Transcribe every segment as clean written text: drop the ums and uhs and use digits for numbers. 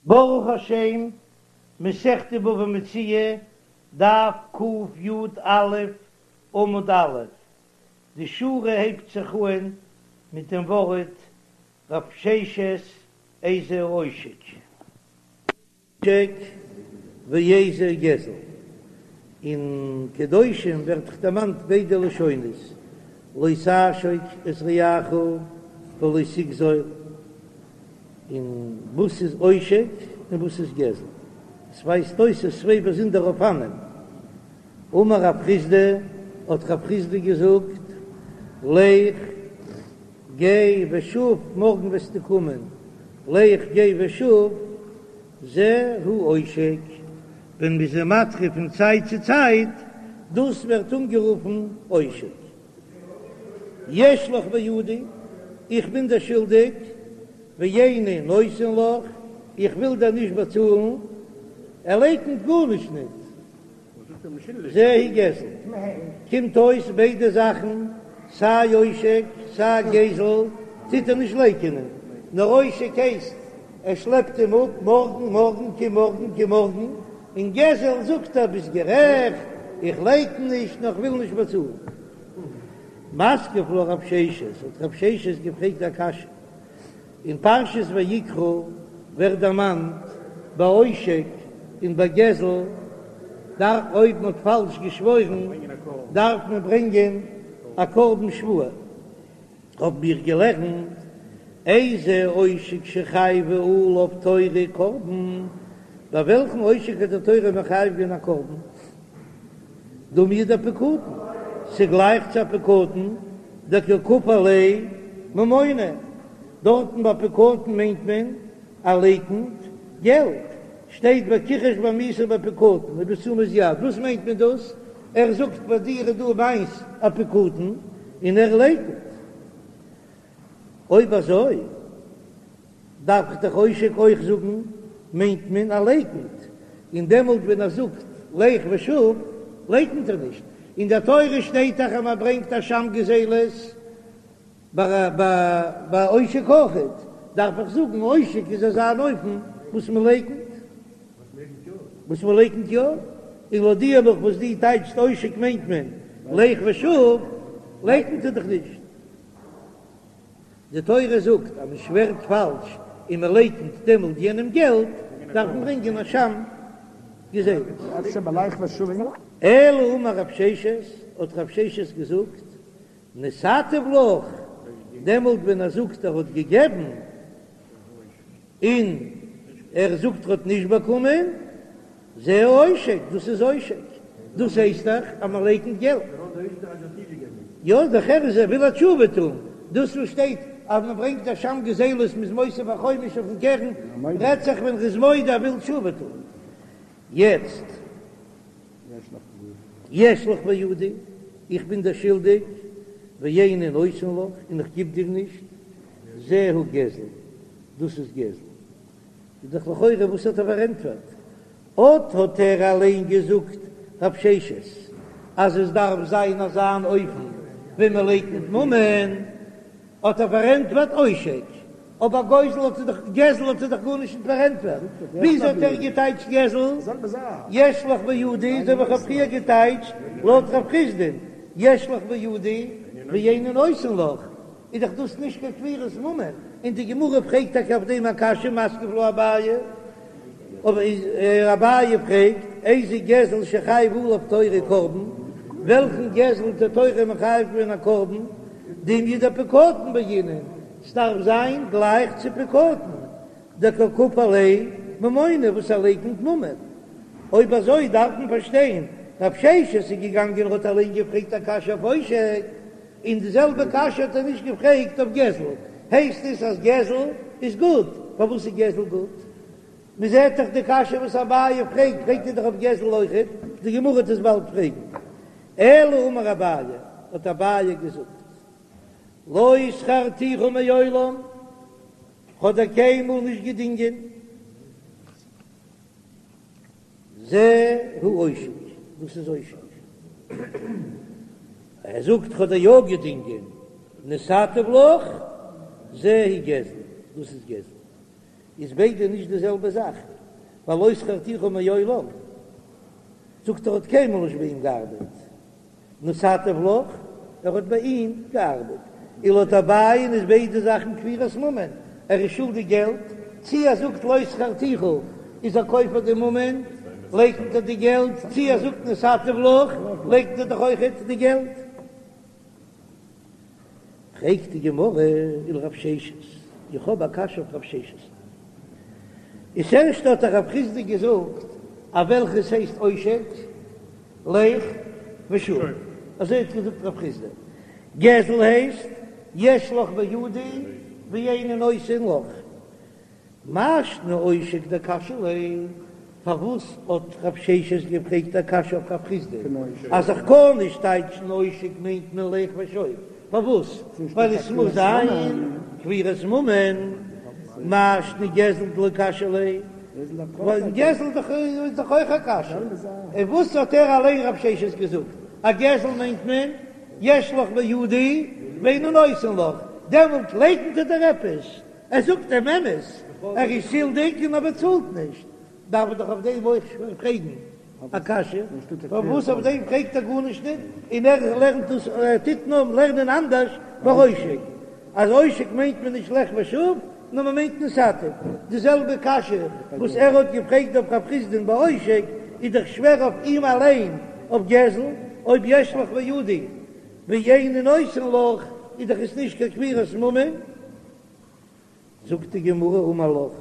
ברוך השם, מסכת בבא מציעא, דף קי"א, עמוד א', די שורה הייבט זיך אהן מיט דעם ווארט רב ששת איזהו עושק. עושק ואיזהו גזל. אין קדושים ווערט דאך דערמאנט ביידע לשונות, לא תעשוק את רעך ולא תגזול. און וואס איז עושק און וואס איז גזל? עס ווייזט אויס ס'איז צוויי באזונדערע אופנים. אמר רב חסדא, האט רב חסדא געזאגט, לך גיי ושוב, מארגן וועסטו קומען, לך גיי ושוב, זה הוא עושק, ווען מ'איז אים מדחה פון צייט צו צייט, דאס ווערט אנגערופן עושק. יש לך בידי, איך בין דיר שולדיג, ואיני נותן לך, איך וויל דיר נישט באצאלן, ער לייקנט גארנישט ניט, זהו גזל. קומט אויס ביידע זאכן, סיי עושק סיי גזל, טוט ער נישט לייקענען, נאר עושק הייסט ער שלעפט אים אפ, מארגן, מארגן, קום מארגן, קום מארגן, און גזל זאגט ער ביסט גערעכט, איך לייקן נישט, נאר כ'וויל נישט באצאלן. מתקיף לה רב ששת, האט רב ששת געפרעגט א קשיא, אין פרשת ויקרא ווערט דערמאנט ביי עושק און ביי גזל, דארף אויב מ'האט פאלש געשוואוירן דארף מען ברענגען א קרבן שבועה. האבן מיר געלערנט, איזה עושק שחייבה עליו תורה קרבן, ביי וועלכן עושק האט די תורה מחייב געווען א קרבן? דומיא דפקדון, ס'גלייך צו א פקדון, דקא כפר ליה ממונא, דארטן ביי פקדון מיינט מען ער לייקנט געלט, שטייט וכחש בעמיתו בפקדון ובתשומת יד, וואס מיינט מען דאס? ער זאגט ביי דיר איז דא מיינס א פקדון און ער לייקנט. אויב אזוי דארף איך דאך עושק אויך זאגן מיינט מען ער לייקנט, און דעמאלט ווען ער זאגט לך ושוב לייקנט ער נישט. אין דער תורה שטייט דאך אז מען ברענגט אשם גזילות. ביי עושק אויכעט דארף איך זאגן עושק איז אזא אן אופן וואס מען לייקנט, וואס מען לייקנט יא, און לויט דיר נאך וואס דו טייטשסט עושק מיינט מען לך ושוב, לייקנט ער דאך נישט. די תורה זאגט אז מען שווערט פאלש און מען לייקנט דעמאלט יענעם געלט, דארף מען ברענגען אשם גזילות. אלא אמר רב ששת, האט רב ששת געזאגט, נתתיו לך, דעמאלט ווען ער זאגט ער האט געגעבן, און ער זאגט ער האט נישט באקומען, זה עושק, דאס איז עושק, דאס הייסט דאך אז מען לייקנט געלט. יא, דאך ער איז ער וויל א תשובה טון, דאס וואס שטייט אז מען ברענגט אשם גזילות מ'איז מוסיף א חומש אויפן קרן, רעדט זיך ווען ר'איז מודה ער וויל תשובה טון. יעצט. יש לך בידי, איך בין דיר שולדיג, ואיני נותן לך, און איך גיב דיר נישט, זהו גזל, דאס איז גזל. איז דאך לכאורה וואס האט ער פארענטפערט? אט האט ער אליין געזאגט רב ששת אז עס דארף זיין אזא אן אופן ווען מען לייקנט ממון, האט ער פארענטפערט עושק, אבער גוזל האט ער דאך, גזל האט ער דאך גארנישט נישט פארענטפערט, וויאזוי האט ער געטייטשט גזל? יש לך בידי, אזוי ווי איך האב פריער געטייטשט לויט רב חסדא'ן, יש לך בידי ואיני נותן לך, איז דאך דאס נישט קיין כפירת ממון, און די גמרא פרעגט טאקע אויף דעם א קשיא, מתקיף לה אביי, אבער אביי פרעגט, איזה גזל שחייבה עליו תורה קרבן, וועלכן גזל האט די תורה מחייב געווען א קרבן, דומיא דפקדון בעינן, ס'דארף זיין גלייך צו פקדון, דקא כפר ליה ממונא וואס ער לייקנט ממון. אויב אזוי דארף מען פארשטיין, רב ששת איז געגאנגען און האט אליין געפרעגט א קשיא אויף עושק, און די זעלבע קשיא האט ער נישט געפרעגט אויף גזל, הייסט עס אז גזל איז גוט, פארוואס איז גזל גוט? מען זעט דאך די קשיא וואס אביי פרעגט, פרעגט ער דאך אויף גזל אויכעט, די גמרא וועט עס באלד פרעגן. אלא אמר אביי, האט אביי געזאגט, לא שכרתיך מעולם, כ'האב דיר קיינמאל נישט געדינגען, זה הוא עושק, דאס איז עושק. ער זאגט כ'האב דיר יא געדינגען, נתתיו לך, זה הוא גזל, דאס איז גזל. איז ביידע נישט די זעלבע זאך, ווייל לא שכרתיך מעולם זאגט ער האט קיינמאל נישט ביי אים געארבעט, נתתיו לך, ער האט ביי אים געארבעט, און לויט אביי'ן איז ביידע זאכן כפירת ממון, ער איז שולדיג געלט, צי ער זאגט לא שכרתיך איז ער כופר די ממון, לייקנט ער די געלט, צי ער זאגט נתתיו לך, לייקנט ער דאך אויכעט די געלט. פרעגט די גמרא ולרב ששת, איך האב א קשיא אויף רב ששת. איז ערשט האט דאך רב חסדא געזאגט אז וועלכעס הייסט עושק, לך ושוב, אזוי האט געזאגט רב חסדא, גזל הייסט יש לך בידי ואיני נותן לך, מאי שנא עושק דקשיא ליה, פארוואס האט רב ששת געפרעגט א קשיא אויף רב חסדא אז איך קען נישט טייטשן עושק מיינט מען לך ושוב, פארוואס? ווייל עס מוז זיין כפירת ממון, מאי שנא גזל דלא קשיא ליה, ווייל גזל איז דאך אויך א קשיא, און וואס האט ער אליין רב ששת געזאגט אז גזל מיינט מען יש לך בידי ואיני נותן לך, דעמאלט לייקנט ער דיר עפעס, ער זאגט דעם אמת, ער איז שולדיג און ער באצאלט נישט, דארף איך דאך אויף דעם אויך פרעגן א קשיא, פארוואס אויף דעם פרעגט ער גארנישט ניט, און ער לערנט דאס, ער טוט נאר לערנען אנדערש ביי עושק, אז עושק מיינט מען נישט לך ושוב, נאר מען מיינט נתתיו, די זעלבע קשיא וואס ער האט געפרעגט אויף רב חסדא'ן ביי עושק, איז דאך שווער אויף אים אליין אויף גזל, אויב יש לך בידי ואיני נותן לך, איז דאך עס נישט קיין כפירת ממון. זאגט די גמרא אמר לך,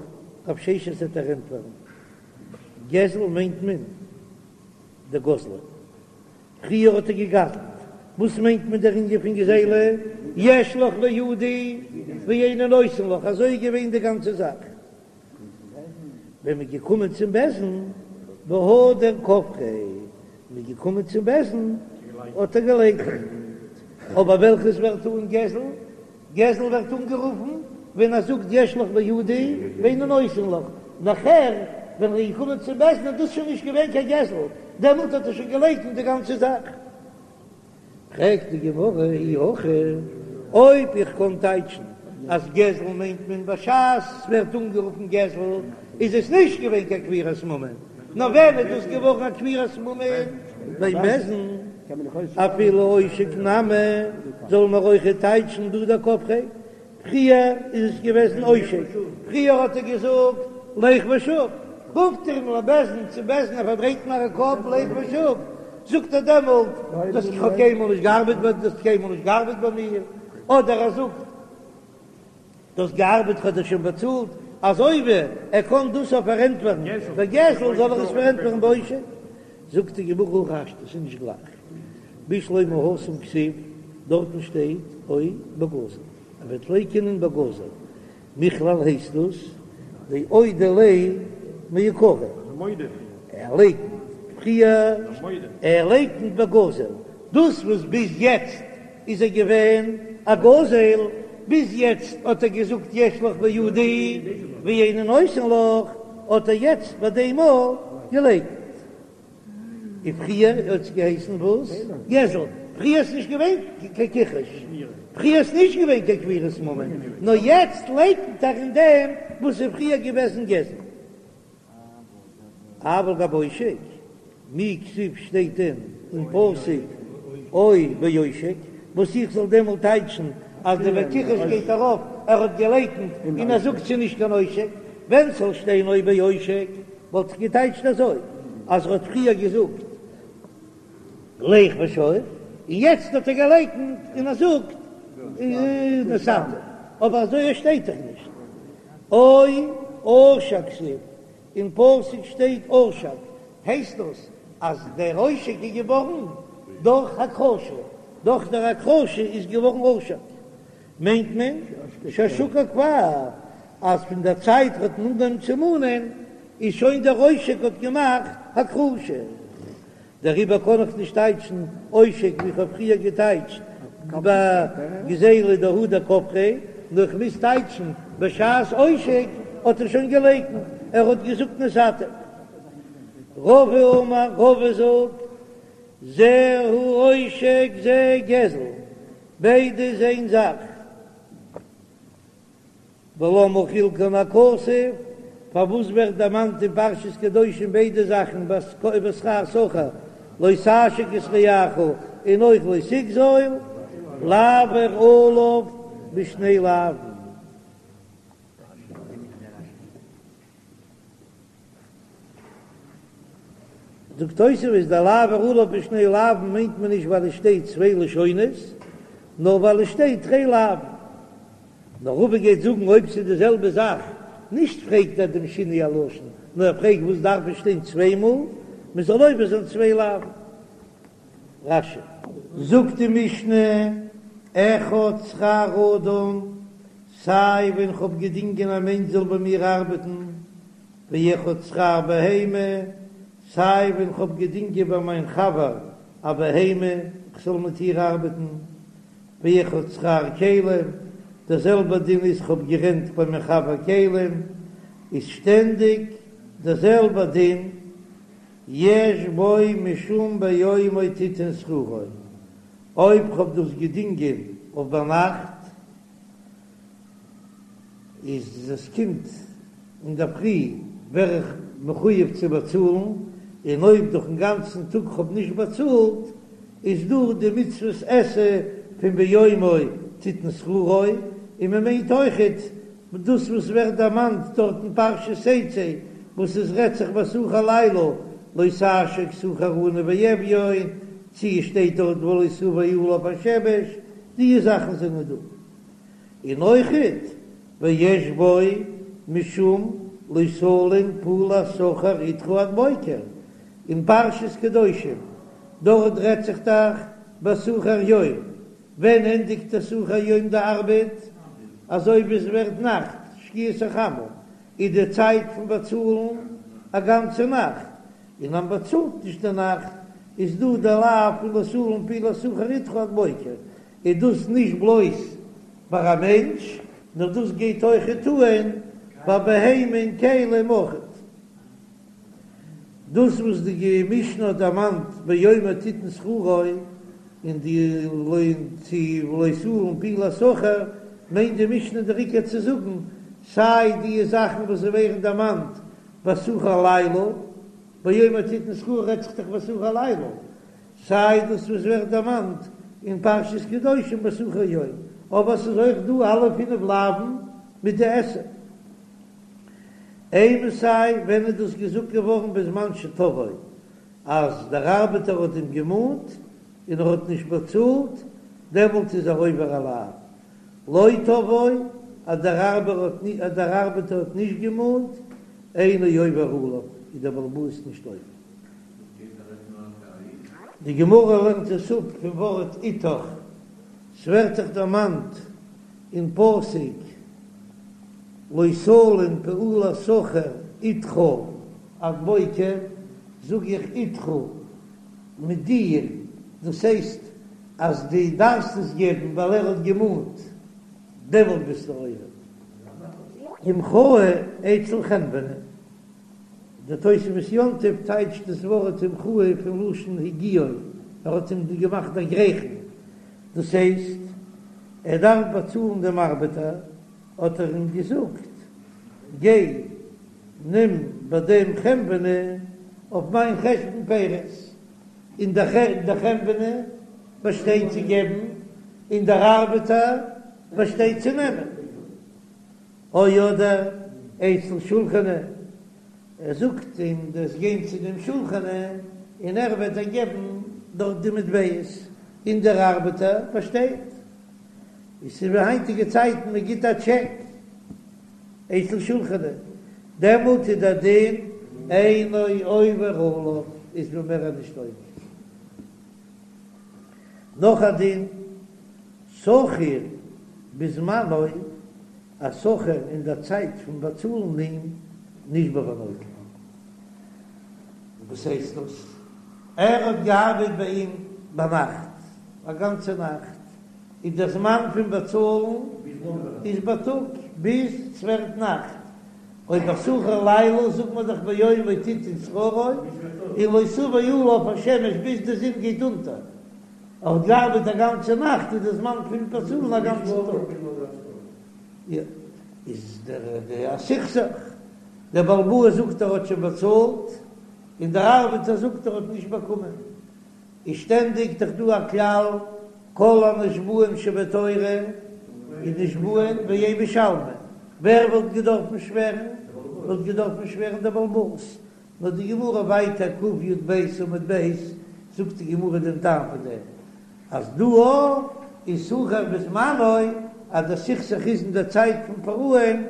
רב ששת וועט דיר ענטפערן, גזל מיינט מען דגזליה, פריער האט ער געגזלט, וואס מיינט מען דער ענין פון גזילה, יש לך בידי ואיני נותן לך, אזוי איז געווען די גאנצע זאך, ווען מ'איז געקומען צום בית דין, והדר כפריה, מ'איז געקומען צום בית דין האט ער געלייקנט, אבער וועלכעס ווערט אן גזל? גזל ווערט אנגערופן ווען ער זאגט יש לך בידי ואיני נותן לך, נאכער ווען ער איז געקומען צום בית דין איז דאס שוין נישט געווען קיין גזל, דעמאלט האט ער שוין געלייקנט די גאנצע זאך. פרעגט די גמרא אי הכי, אויב איך קען טייטשן אז גזל מיינט מען בשעת ס'ווערט אנגערופן גזל איז עס נישט געווען קיין כפירת ממון, נאר ווען איז דאס געווארן א כפירת ממון? ביים בית דין, אפילו עושק נמי זאל מען אויכעט טייטשן דהדר כפריה, פריער איז עס געוועזן עושק, פריער האט ער געזאגט לך ושוב, רופט ער אים לבית דין צום בית דין ער פארדרייט מיר א קאפ לך ושוב, זאגט ער דעמאלט דאס איך האב קיינמאל נישט געארבעט ביי דו האסט קיינמאל נישט געארבעט ביי מיר, אדער ער זאגט דו האסט געארבעט כ'האב דיר שוין באצאלט, אזוי ווי ער קען דאס אויף פארענטפערן בגזל זאל ער עס פארענטפערן בעושק, זאגט די גמרא הכי השתא ס'איז נישט גלייך, בשלמא התם כתיב, דארטן שטייט או בגזל, ער וועט לייקענען בגזל, מכלל הייסט דאס דאודי ליה מעיקרא, ער לייקנט פריער, ער לייקנט בגזל, דאס וואס ביז יעצט איז ער געווען א גוזל, ביז יעצט האט ער געזאגט יש לך בידי ואיני נותן לך, האט ער יעצט ביי דעם מאל געלייקנט. און פריער האט עס געהייסן וואס? גזל. פריער איז נישט געווען קיין כיחוש, פריער איז נישט געווען קיין כפירת ממון, נאר יעצט לייקנט ער אין דעם וואס איז פריער געוועזן גזל. אבל גבי עושק, מי כתיב שטייט דען אין פסוק או בעושק, וואס איך זאל דעמאלט טייטשן אז די וכחש גייט ארויף, ער האט געלייקנט און ער זאגט ס'איז נישט קיין עושק, ווען ס'זאל שטיין או בעושק וואלט איך געטייטשט אזוי אז ער האט פריער געזאגט לך ושוב און יעצט האט ער געלייקנט און ער זאגט נתתיו, אבער אזוי שטייט דאך נישט או עשק כתיב, אין פסוק שטייט עשק, הייסט דאס אז דער עושק איז געווארן דורך הכחשה, דורך דער הכחשה איז געווארן עשק, מיינט מען שהשקה כבר, אז פון דער צייט האט מען אנגעהויבן צו מאנען איז שוין דער עושק האט געמאכט הכחשה. דעריבער קען איך נישט טייטשן עושק ווי איך האב פריער געטייטשט ביי גזילה דהדר כפריה, נאר איך מוז טייטשן בשעת עושק האט ער שוין געלייקנט, ער האט געזאגט נתתיו. רבא אמר, רבא זאגט, זהו עושק זה גזל, ביידע איז איין זאך. ולמה חלקן הכתוב, פארוואס ווערט דערמאנט אין פרשת קדושים ביידע זאכן בשכר שכיר לא תעשוק את רעך און אויך לא תגזול, לעבור עליו בשני לאווין. זאגט תוספות דער לעבור עליו בשני לאווין מיינט מען נישט ווייל עס שטייט צוויי לשונות, נאר ווייל עס שטייט תרי לאווין. נאר רבא גייט זאגן אויב ס'איז די זעלבע זאך, נישט פרעגט ער דעם שינוי הלשון, נאר ער פרעגט וואס דארף עס שטיין צוויי מאל, מען זאל עובר זיין צוויי לאווין. רש"י. זאגט די משנה, אחד שכר אדם, סיי ווען כ'האב געדינגען א מענטש זאל ביי מיר ארבעטן, ואחד שכר בהמה, סיי ווען כ'האב געדינגען ביי מיין חבר א בהמה כ'זאל מיט איר ארבעטן, ואחד שכר כלים, דער זעלבער דין איז כ'האב גערענט ביי מיין חבר כלים, איז שטענדיג דער זעלבער דין, יש בו משום ביומו תיתן שכרו, אויב כ'האב דאס געדינגען אויף ביינאכט, איז עס קומט אינדערפרי ווער איך מחויב צו באצאלן, און אויב דורכן גאנצן טאג כ'האב נישט באצאלט, איז דא די מצוות עשה פון ביומו תיתן שכרו, און מען מיינט אויכעט דאס וואס ווערט דערמאנט דארט אין פרשת תצא, וואס עס רעדט זיך ביי שכיר לילה, לא תעשוק שכיר עני ואביון, צו עס שטייט דארט ולא תבא עליו השמש, די זאכן זענען דא. און אויכעט ויש בו משום לא תלין פעולת שכיר אתך עד בוקר, אין פרשת קדושים דארט רעדט זיך דאך בשכיר יום, ווען ענדיגט דער שכיר יום די ארבעט? אזוי ווי עס ווערט נאכט, שקיעת החמה, איז די צייט פון באצאלן א גאנצע נאכט, און אז מ'באצאלט נישט די נאכט איז דא די לאו פון לא תלין פעולת שכיר אתך עד בוקר, איז דאס נישט בלויז ביי א מענטש, נאר דאס גייט אויכעט אן ביי בהמה און כלים אויכעט. דאס וואס די משנה האט דערמאנט ביומו תיתן שכרו און די לא צו ולא תלין פעולת שכיר, מיינט די משנה דער עיקר צו זאגן סיי די זאכן וואס ווערן דערמאנט בשכיר לילה, ביומו תיתן שכרו רעדט זיך דאך בשכיר לילה, סיי דאס וואס ווערט דערמאנט אין פרשת קדושים בשכיר יום, אבער ס'איז אויך דא אלע פינף לאווין מיט די עשה. אימתי ווען איז דאס געזאגט געווארן בזמן שתבעו אז דער ארבעטער האט אים געמאנט און ער האט נישט באצאלט, דעמאלט איז ער עובר א לאו. לא תבעו אז דער ארבעטער האט נישט געמאנט, אינו עובר עליו, איז דער בעל הבית נישט עובר. די גמרא לערנט עס אפ פון ווארט אתך, ס'ווערט דאך דערמאנט אין פסוק לא תלין פעולת שכיר אתך עד בוקר, זאג איך אתך מיט דיר, דאס הייסט אז דו דארפסט עס געבן ווייל ער האט געמאנט, דעמאלט ביסטו עובר. המחהו אצל חנווני. דער תוספות יום טוב טייטשט דאס ווארט המחהו פון לשון הגיעו, ער האט אים געמאכט דערגרייכן, דאס הייסט ער דארף באצאלן דעם ארבעטער, האט ער אים געזאגט, גיי נעם ביי דעם חנווני אויף מיין חשבון פירות, און דער חנווני באשטייט צו געבן, און דער ארבעטער באשטייט צו נעמען. או אדער אצל שולחני, ער זאגט אים דו'סט גיין צו דעם שולחני און ער וועט דיר געבן דארט די מטבעות, און דער ארבעטער באשטייט. עס איז ווי היינטיגע צייטן מען גיט א טשעק אצל שולחני, דעמאלט איז דער דין אינו עובר עליו, איז מען מער נישט עובר. נאך א דין, שכיר בזמנו, א שכיר אין דער צייט פון באצאלן אים נשבע ונוטל. וואס הייסט דאס? ער האט געארבעט ביי אים ביינאכט, א גאנצע נאכט, און דער זמן פון באצאלן איז בייטאג ביז ס'ווערט נאכט. אויב א שכיר לילה זאגט מען דאך ביומו תיתן שכרו, און לא תבא עליו השמש ביז די זון גייט אונטער. ער האט געארבעט א גאנצע נאכט איז די זמן פון באצאלן א גאנצן טאג. יא. איז דער די א סכסוך, דער בעל הבית זאגט ער האט שוין באצאלט, און דער ארבעטער זאגט ער האט נישט באקומען, איז שטענדיג דאך דא א כלל כל הנשבעים שבתורה איז נשבעין ואין משלמין, ווער וואלט געדארפן שווערן? וואלט געדארפן שווערן דער בעל הבית, נאר די גמרא ווייטער קי"ב עמוד ב' זאגט די גמרא דעם טעם פון דעם אז דא איז שכיר בזמנו אז דער סכסוך איז אין דער צייט פון פרעה'ן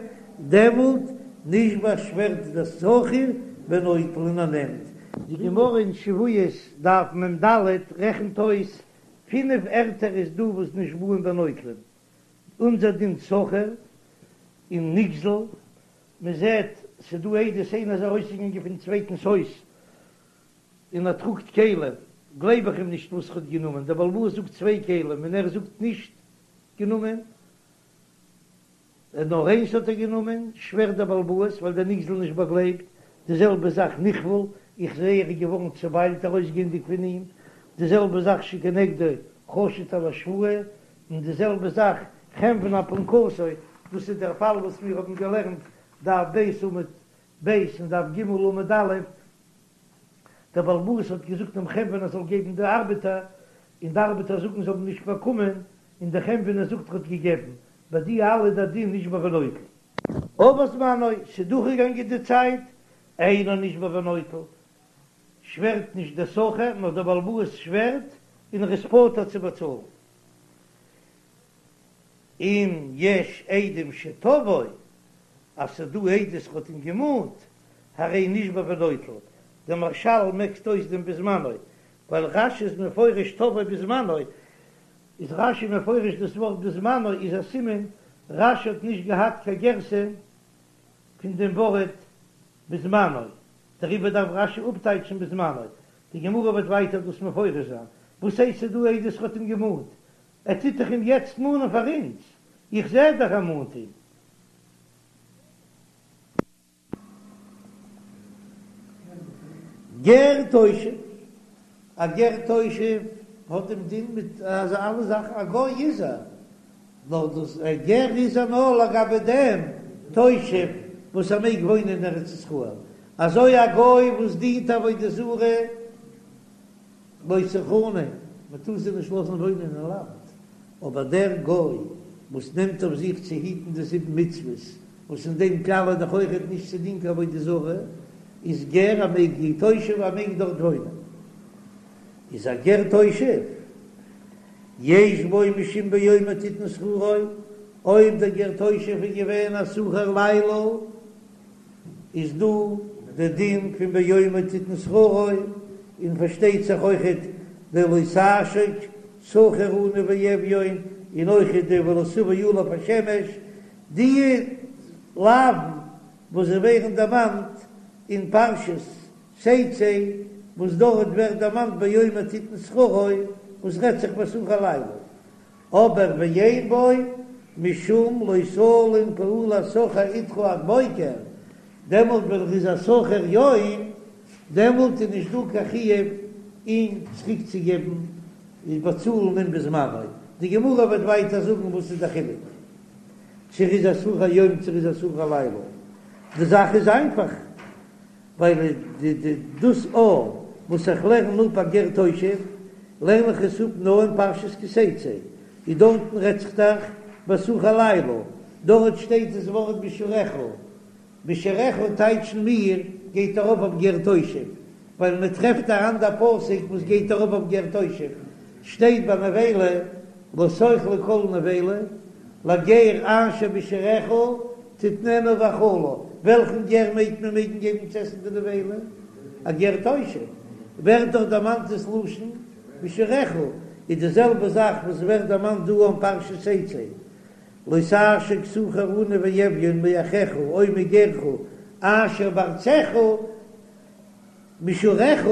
דעמאלט נשבע שווערט דער שכיר ונוטל און ער נעמט. די גמרא אין שבועות דף מ"ד רעכנט אויס פינף ערטער איז דא וואס נשבעין ונוטלין, אונזער דין שכיר און נגזל, מען זעט ס'דא עדות איינער איז ארויסגעגאנגען פון צווייטנס הויז און ער טראגט כלים, גלייב איך אים נישט וואס ער האט גענומען, דער בעל הבית זאגט צוויי כלים און ער זאגט נישט גענומען, נאר איינס האט ער גענומען, שווערט דער בעל הבית ווייל דער נגזל נישט באגלייבט, די זעלבע זאך נכבל, איך זעה ער איז געווארן צוביילט ארויסגייענדיג פון אים, די זעלבע זאך שכנגדו חשוד על השבועה, און די זעלבע זאך חנוני אפונקסו, דאס איז דער פאל וואס מיר האבן געלערנט דף ב' עמוד ב' און דף ג' עמוד א', דער בעל הבית האט געזאגט דעם חנוני ער זאל געבן די ארבעטער, און די ארבעטער זאגן זיי האבן נישט באקומען, און דער חנוני זאגט ער האט געגעבן, ביי די אלע איז דער דין נשבע ונוטל. עבר זמנו, ס'איז דורכגעגאנגען די צייט, אינו נשבע ונוטל, שווערט נישט דער שכיר, נאר דער בעל הבית שווערט און ער איז פטור צו באצאלן. אם יש עדים שתבעו, אז ס'איז דא עדות ער האט אים געמאנט, הרי נשבע ונוטל, דער מהרש"ל מעקט אויס דעם בזמנו, ווייל רש"י איז מפרש תבעו בזמנו, איז רש"י מפרש דאס ווארט בזמנו איז א סימן רש"י האט נישט געהאט קיין גירסא פון דעם ווארט בזמנו, דעריבער דארף רש"י אפטייטשן בזמנו, די גמרא וועט ווייטער דאס מפרש זיין, וואס הייסט ס'איז דא עדות ער האט אים געמאנט? ער טוט דאך אים יעצט מאנען פאר אונז, איך זע דאך ער מאנט אים. גר תושב, א גר תושב האט דעם דין מיט אלע זאכן, א גוי איז ער, נאר דאס א גר איז ער נאר לגבי דעם תושב וואס ער מעג וואוינען אין ארץ ישראל, אזוי א גוי וואס דינט עבודה זרה לא תחנם, מען טאר זיי נישט לאזן וואוינען אין לאנד, אבער דער גוי וואס נעמט אויף זיך צו היטן די זיבן מצוות, וואס אין דעם כלל איז דאך אויכעט נישט צו דינען קיין עבודה זרה, איז גר ער מעג תושב ער מעג דארט וואוינען, איז א גר תושב יש בו משום ביומו תתן שכרו, אויב דער גר תושב איז געווען א שכיר לילה, איז דא די דין פון ביומו תתן שכרו, און פארשטייט זיך אויכעט די לא תעשוק שכיר עני ואביון, און אויכעט די ולא תבא עליו השמש, די לאווין וואס זיי ווערן דערמאנט אין פרשת תצא, וואס דארט ווערט דערמאנט ביומו תתן שכרו, וואס רעדט זיך ביי שכיר לילה, אבער ואין בו משום לא תלין פעולת שכיר אתך עד בוקר, דעמאלט ווען ער איז א שכיר יום, דעמאלט איז נישט דא קיין חיוב אים צוריק צו געבן און באצאלן אים בזמנו, די גמרא וועט ווייטער זאגן וואס איז די חילוק צו ער איז א שכיר יום צו ער איז א שכיר לילה, די זאך איז איינפאך. ווייל די די דאס א וואס איך לערן אפ א גר תושב לערן איך עס אפ נאר אין פרשת כי תצא, און דארטן רעדט זיך דאך בשכיר לילה, דארט שטייט דאס ווארט בשעריך, בשעריך טייטשן מיר גייט ארויף אויף גר תושב, ווייל מען טרעפט א אנדער פסוק וואס גייט ארויף אויף גר תושב, שטייט ביי נבילה לא תאכלו כל נבילה, לגר אשר בשעריך תתננה ואכלה, וועלכן גר מעג מען מעגן געבן צו עסן די נבילה? א גר תושב, ווערט דאך דערמאנט דאס לשון בשעריך, איז די זעלבע זאך וואס ווערט דערמאנט דא אין פרשת תצא, לא תעשוק שכיר עני ואביון מאחיך או מגרך אשר בארצך, בשעריך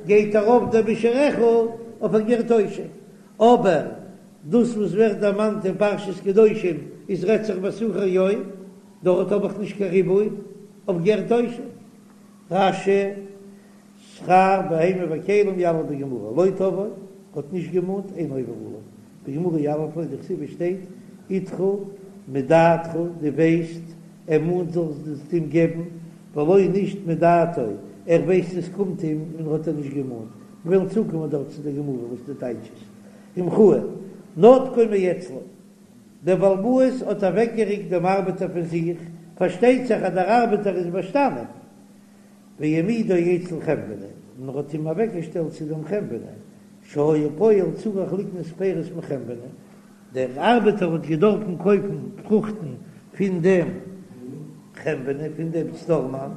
גייט ארויף דער בשעריך אויף א גר תושב, אבער דאס וואס ווערט דערמאנט אין פרשת קדושים איז רעדט זיך בשכיר יום, דארט האב איך נישט קיין ריבוי אויף גר תושב. רש"י, שכר בהמה וכלים יליף בגמרא, לא תבעו, האט נישט געמאנט, אינו עובר עליו, בגמרא יליף ליה דכתיב עס שטייט אתך. מדעתך, דו ווייסט, ער מאנט זאלסט אים געבן, ולא נישט מדעתו, ער ווייסט עס קומט אים און האט ער נישט געמאנט. מיר וועלן צוקומען דארט צו די גמרא וואס די טייטש איז. המחאה, נתקו מאצלו, דער בעל הבית האט אוועקגעריקט דעם ארבעטער פון זיך, פארשטייט זיך אז דער ארבעטער איז באשטאנען, והעמידו אצל חנווני, און ער האט אים אוועקגעשטעלט צו דעם חנווני, שהיה פועל צריך לקנות פירות מחנווני, דער ארבעטער האט געדארפן קויפן פרוכטן פון דעם חנווני, פון דעם סטארמאן,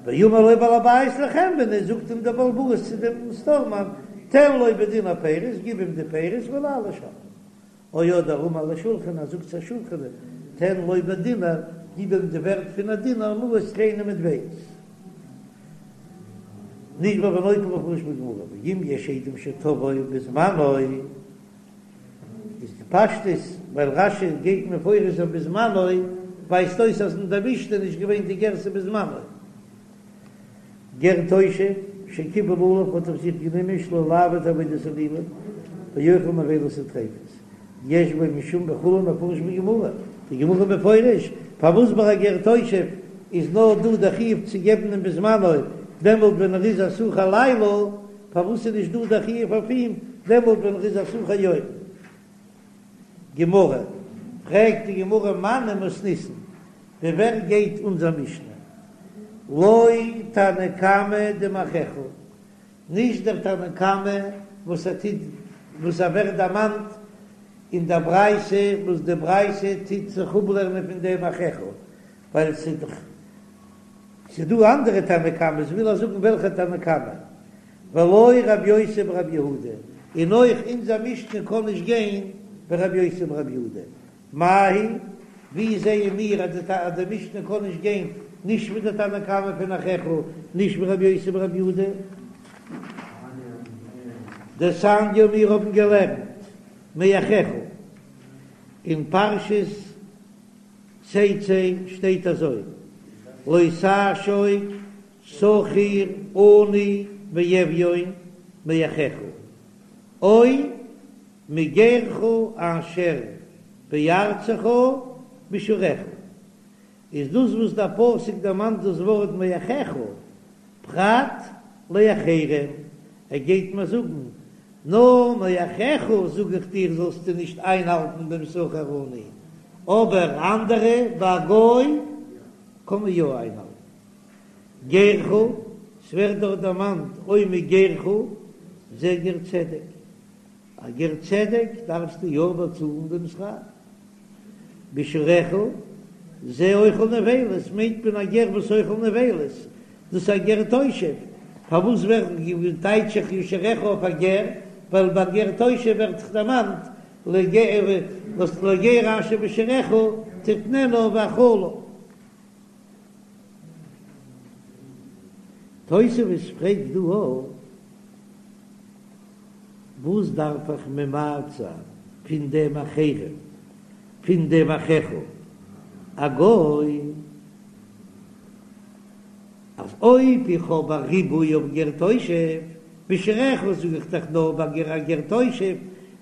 ואמר לו בעל הבית לחנווני, זאגט אים דער בעל הבית צו דעם סטארמאן, תן לו בדינר פירות, גיב אים די פירות ולא לשלם. או אדער אמר לשולחני, ער זאגט צו א שולחני, תן לו בדינר, גיב אים די ווערט פון א דינר, מעות קליינע מטבעות. נשבע ונוטל מפורש בגמרא, ואם יש עדים שתבעו בזמנו, איז די פשטות, ווייל רש"י גייט מפרש זיין בזמנו, ווייזט אויס אז אין דער משנה איז נישט געווען די גירסא בזמנו. גר תושב שקיבל עליו האט אויף זיך גענומען שלא לעבוד עבודת אלילים ואוכל נבילות וטריפות, יש בו משום וכו' מפורש בגמרא, די גמרא מפורש פארוואס ביי א גר תושב איז נאר דא דער חיוב צו געבן אים בזמנו דעמאלט ווען ער איז א שכיר לילה, פארוואס איז נישט דא דער חיוב אויף אים דעמאלט ווען ער איז א שכיר יום? גמרא, פרעגט די גמרא מני מתניתין, ווי ווער גייט אונזער משנה? לא תנא קמא דמאחיך, נישט דער תנא קמא וואס ער טוט וואס ער ווערט דערמאנט אין דער ברייתא וואס די ברייתא טוט זיך אפלערנען פון דעם אחיך, ווייל ס'איז דאך ס'איז דא אנדערע תנא קמא'ס, וויל ער זאגן וועלכע תנא קמא, ולא רבי יוסי ברבי יהודה, און אויך אונזער משנה קען נישט גיין ווי רבי יוסי ברבי יהודה, מאי היא, ווי זעען מיר אז די משנה קען נישט גיין נישט ווי די תנא קמא פון אחיך, נישט ווי רבי יוסי ברבי יהודה? דתניא מיר האבן געלערנט מאחיך אין פרשת תצא שטייט אזוי, לא תעשוק שכיר עני ואביון מאחיך, או מגרך אשר בארצך בשעריך, איז דאס וואס דער פסוק דערמאנט דאס ווארט מאחיך, פרט לאחרים, ער גייט מיר זאגן, נאר מאחיך זאג איך דיר זאלסטו נישט איינהאלטן דעם שכיר עני, אבער אנדערע ביי א גוי קען מען יא איינהאלטן. גרך, ס'ווערט דארט דערמאנט או מגרך, זה גר צדק, א גר צדק דארפסטו יא באצאלן דעם שכר. בשעריך, זה אוכל נבילות, מיינט מען א גר וואס אוכל נבילות, דאס איז א גר תושב, פארוואס ווערט טייטש איך בשעריך אויף א גר, ווייל ביי גר תושב ווערט דאך דערמאנט לגר אשר בשעריך תתננה ואכלה. תוספות פרעגט דא אויך, וואס דארף איך ממעט זיין פון דעם אחרים, פון דעם אחיך א גוי, אז אויב איך האב א ריבוי אויף גר תושב, בשעריך זאג איך דאך נאר ביי גר א גר תושב,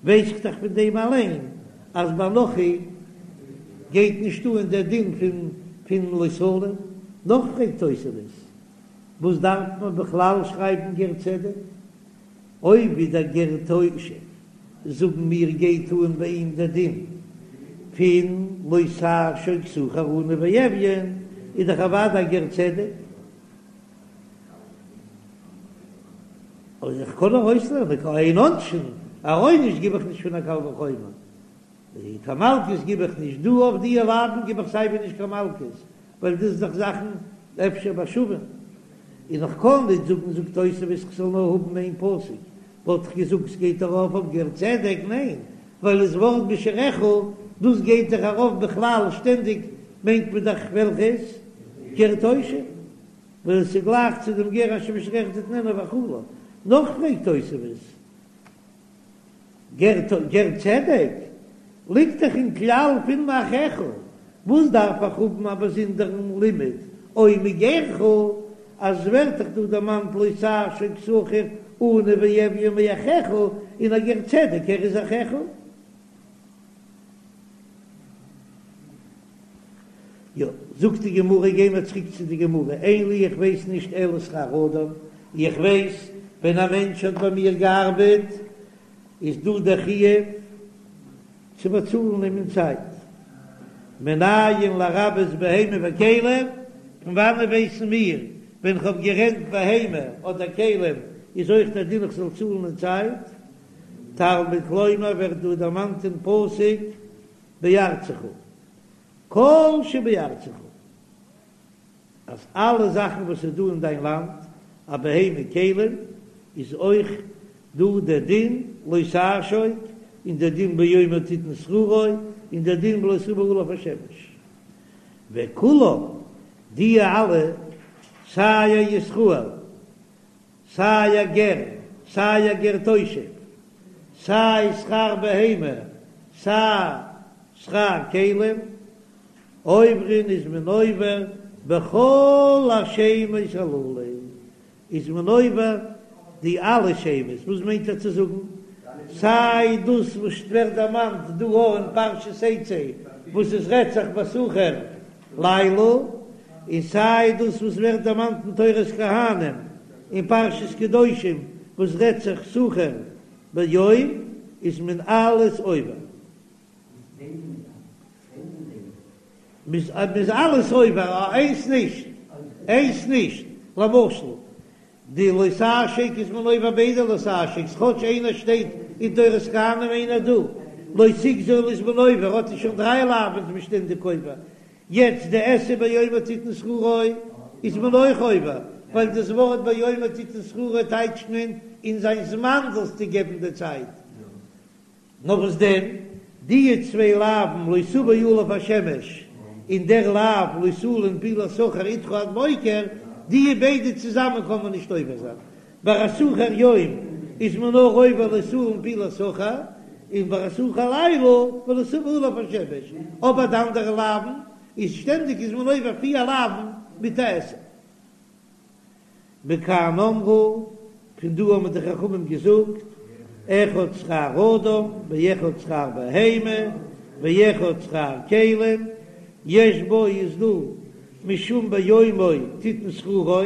ווייס איך דאך פון דעם אליין אז ביי נכרי גייט נישט אן דער דין פון פון לא תלין. נאך פרעגט תוספות, וואס דארף מען בכלל שרייבן גר צדק? אויב ווי דער גר תושב זאגן מיר גייט אן ביי אים דער דין פון לא תעשוק שכיר עני ואביון, איז דאך אוודאי א גר צדק. און איך קען ארויסלערנען אין עונשין, א עונש גיב איך נישט פון א קל וחומר, קיין מלקות גיב איך נישט, דא אויף די לאוין גיב איך סייווי נישט קיין מלקות, ווייל דאס איז דאך זאכן אפשר בשווים, און איך קען נישט זאגן זאגט תוספות איך זאל נאר האבן איין פסוק, וואלט איך געזאגט ס'גייט ארויף אויף גר צדק, ניין, ווייל דאס ווארט בשעריך דאס גייט דאך ארויף בכלל שטענדיג מיינט מען דאך וועלכעס גר תושב. ווייל עס איז גלייך צו דעם גר אשר בשעריך תתננה ואכלה. נאך פרעגט תוספות, גר צדק ליגט דאך אין כלל פון מאחיך, וואס דארף איך האבן א באזונדערן לימוד או מגרך, אז עס ווערט דאך דא דערמאנט לא תעשוק שכיר עני ואביון מאחיך, און א גר צדק ער איז אחיך. זאגט די גמרא, גיי מיר צוריק צו די גמרא, אין לי איך ווייס נישט אלא שכר אדם, איך ווייס ווען א מענטש האט ביי מיר געארבעט איז דא דער חיוב צו באצאלן אים אין צייט, מנין לרבות בהמה וכלים, פון וואנען ווייסן מיר ווען כ'האב גערענט בהמה אדער כלים איז אויך דער דין איך זאל צאלן אין צייט, תלמוד לומר ווערט דא דערמאנט אין פסוק בארצך. כל שבארצך, אז אלע זאכן וואס איז דא אין דיין לאנד, א בהמה כלים, איז אויך דא דער דין לא תעשוק, און דער דין ביומו תתן שכרו, און דער דין ולא תבא עליו השמש. וכולם, די אלע, סיי א ישראל, סיי א גר, סיי א גר תושב, סיי שכר בהמה, סיי שכר כלים, עוברין איז מען עובר בכל השמות הללו, איז מען עובר די אלע שמות, וואס מיינט ער צו זאגן? סיי דאס וואס ווערט דערמאנט דא אין פרשת תצא וואס עס רעדט זיך בשכיר לילה, און סיי דאס וואס ווערט דערמאנט אין תורת כהנים אין פרשת קדושים וואס רעדט זיך שכיר ביום, איז מען אלעס עובר. מ'איז אלעס עובר, איינס נישט, איינס נישט, למשל די לא תעשוק איז מען עובר ביידע לא תעשוק'ס כאטש איינער שטייט אין תורת כהנים איינער דא, לא תגזול איז מען עובר האט ער שוין דריי לאווין איז מען שטענדיג עובר, יעצט די עשה ביומו תתן שכרו איז מען אויך עובר, ווייל דאס ווארט ביומו תתן שכרו טייטשט מען אין זיין זמן זאלסטו געבן די צייט. נאר וואס דען, די צוויי לאווין לא תבא עליו השמש און דער לאו לא תלין פעולת שכיר אתך עד בוקר, די ביידע צוזאמען קען מען נישט עובר זיין. ביי א שכיר יום איז מען נאר עובר לא תלין פעולת שכיר, און ביי א שכיר לילה ולא תבא עליו השמש, אבער די אנדערע לאווין איז שטענדיג איז מען עובר פיר לאווין מיט א עשה. מכאן אמרו, פון דא האבן די חכמים געזאגט, אחד שכר אדם ואחד שכר בהמה ואחד שכר כלים, יש בו איז דא משום ביומו תתן שכרו,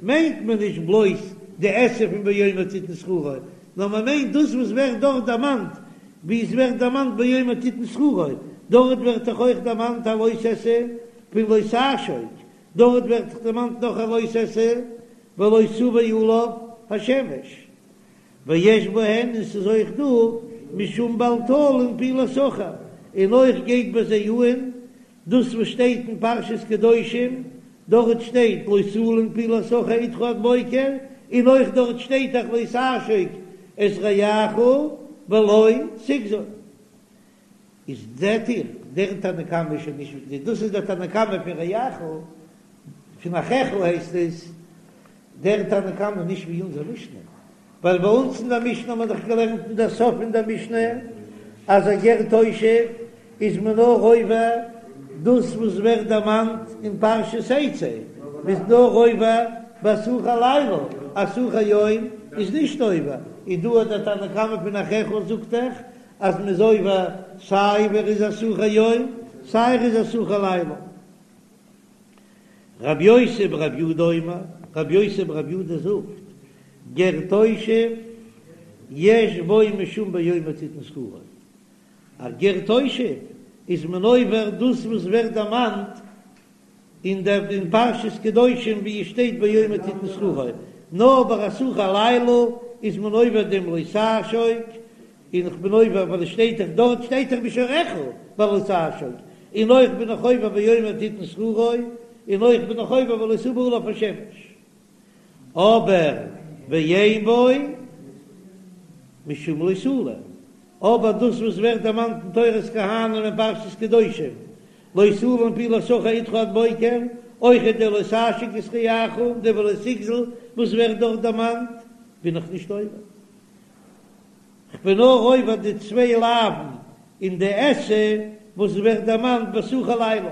מיינט מען נישט בלויז די עשה פון ביומו תתן שכרו, נאר מען מיינט דאס וואס ווערט דארט דערמאנט, ווי עס ווערט דערמאנט ביומו תתן שכרו, דארט ווערט דאך אויך דערמאנט א לא תעשה פון לא תעשוק, דארט ווערט דאך דערמאנט נאך א לא תעשה ולא תבא עליו השמש, ויש בהן און ס'איז אויך דא משום בל תלין פעולת שכיר, און אויך גייט ביי זיי אהן דאס וואס שטייט אין פרשת קדושים, דארט שטייט לא תלין פעולת שכיר אתך עד בוקר, און אויך דארט שטייט דאך לא תעשוק את רעך ולא תגזול. איז זעט איר, דער תנא קמא איז שוין נישט ווי דאס איז דער תנא קמא פון רעך, פון אחיך הייסט עס, דער תנא קמא נישט ווי אונזער משנה, ווייל ביי אונז אין דער משנה האט מען דאך געלערנט אין דער סוף פון דער משנה אז א גר תושב איז מען נאר עובר דאס וואס ווערט דערמאנט אין פרשת תצא, מ'איז נאר עובר בשכיר לילה, א שכיר יום איז נישט עובר, און דא האט דער תנא קמא פון אחיך זאגט דאך אז מ'איז עובר סיי ווען ער איז א שכיר יום סיי ער איז א שכיר לילה. רבי יוסי ברבי יהודה אומר, רבי יוסי ברבי יהודה זאגט, גר תושב יש בו משום ביומו תתן שכרו, א גר תושב איז מען עובר דאס וואס ווערט דערמאנט אין דער אין פרשת קדושים ווי עס שטייט ביומו תתן שכרו, נאר ביי א שכיר לילה איז מען עובר דעם לא תעשוק, און איך בין עובר ווייל עס שטייט דאך דארט שטייט דאך בשורך ולא תעשוק, און אויך בין איך עובר ביומו תתן שכרו, און אויך בין איך עובר ולא תבא עליו השמש. אבער ואין בו משום לא תלין, אבער דאס וואס ווערט דערמאנט אין תורת כהנים אין פרשת קדושים, לא תלין פעולת שכיר אתך עד בוקר, אויכעט די לא תעשוק את רעך און די ולא תגזול וואס ווערט דארט דערמאנט, בין איך נישט עובר. כ'בין נאר עובר די צוויי לאווין און די עשה וואס ווערט דערמאנט בשכיר לילה.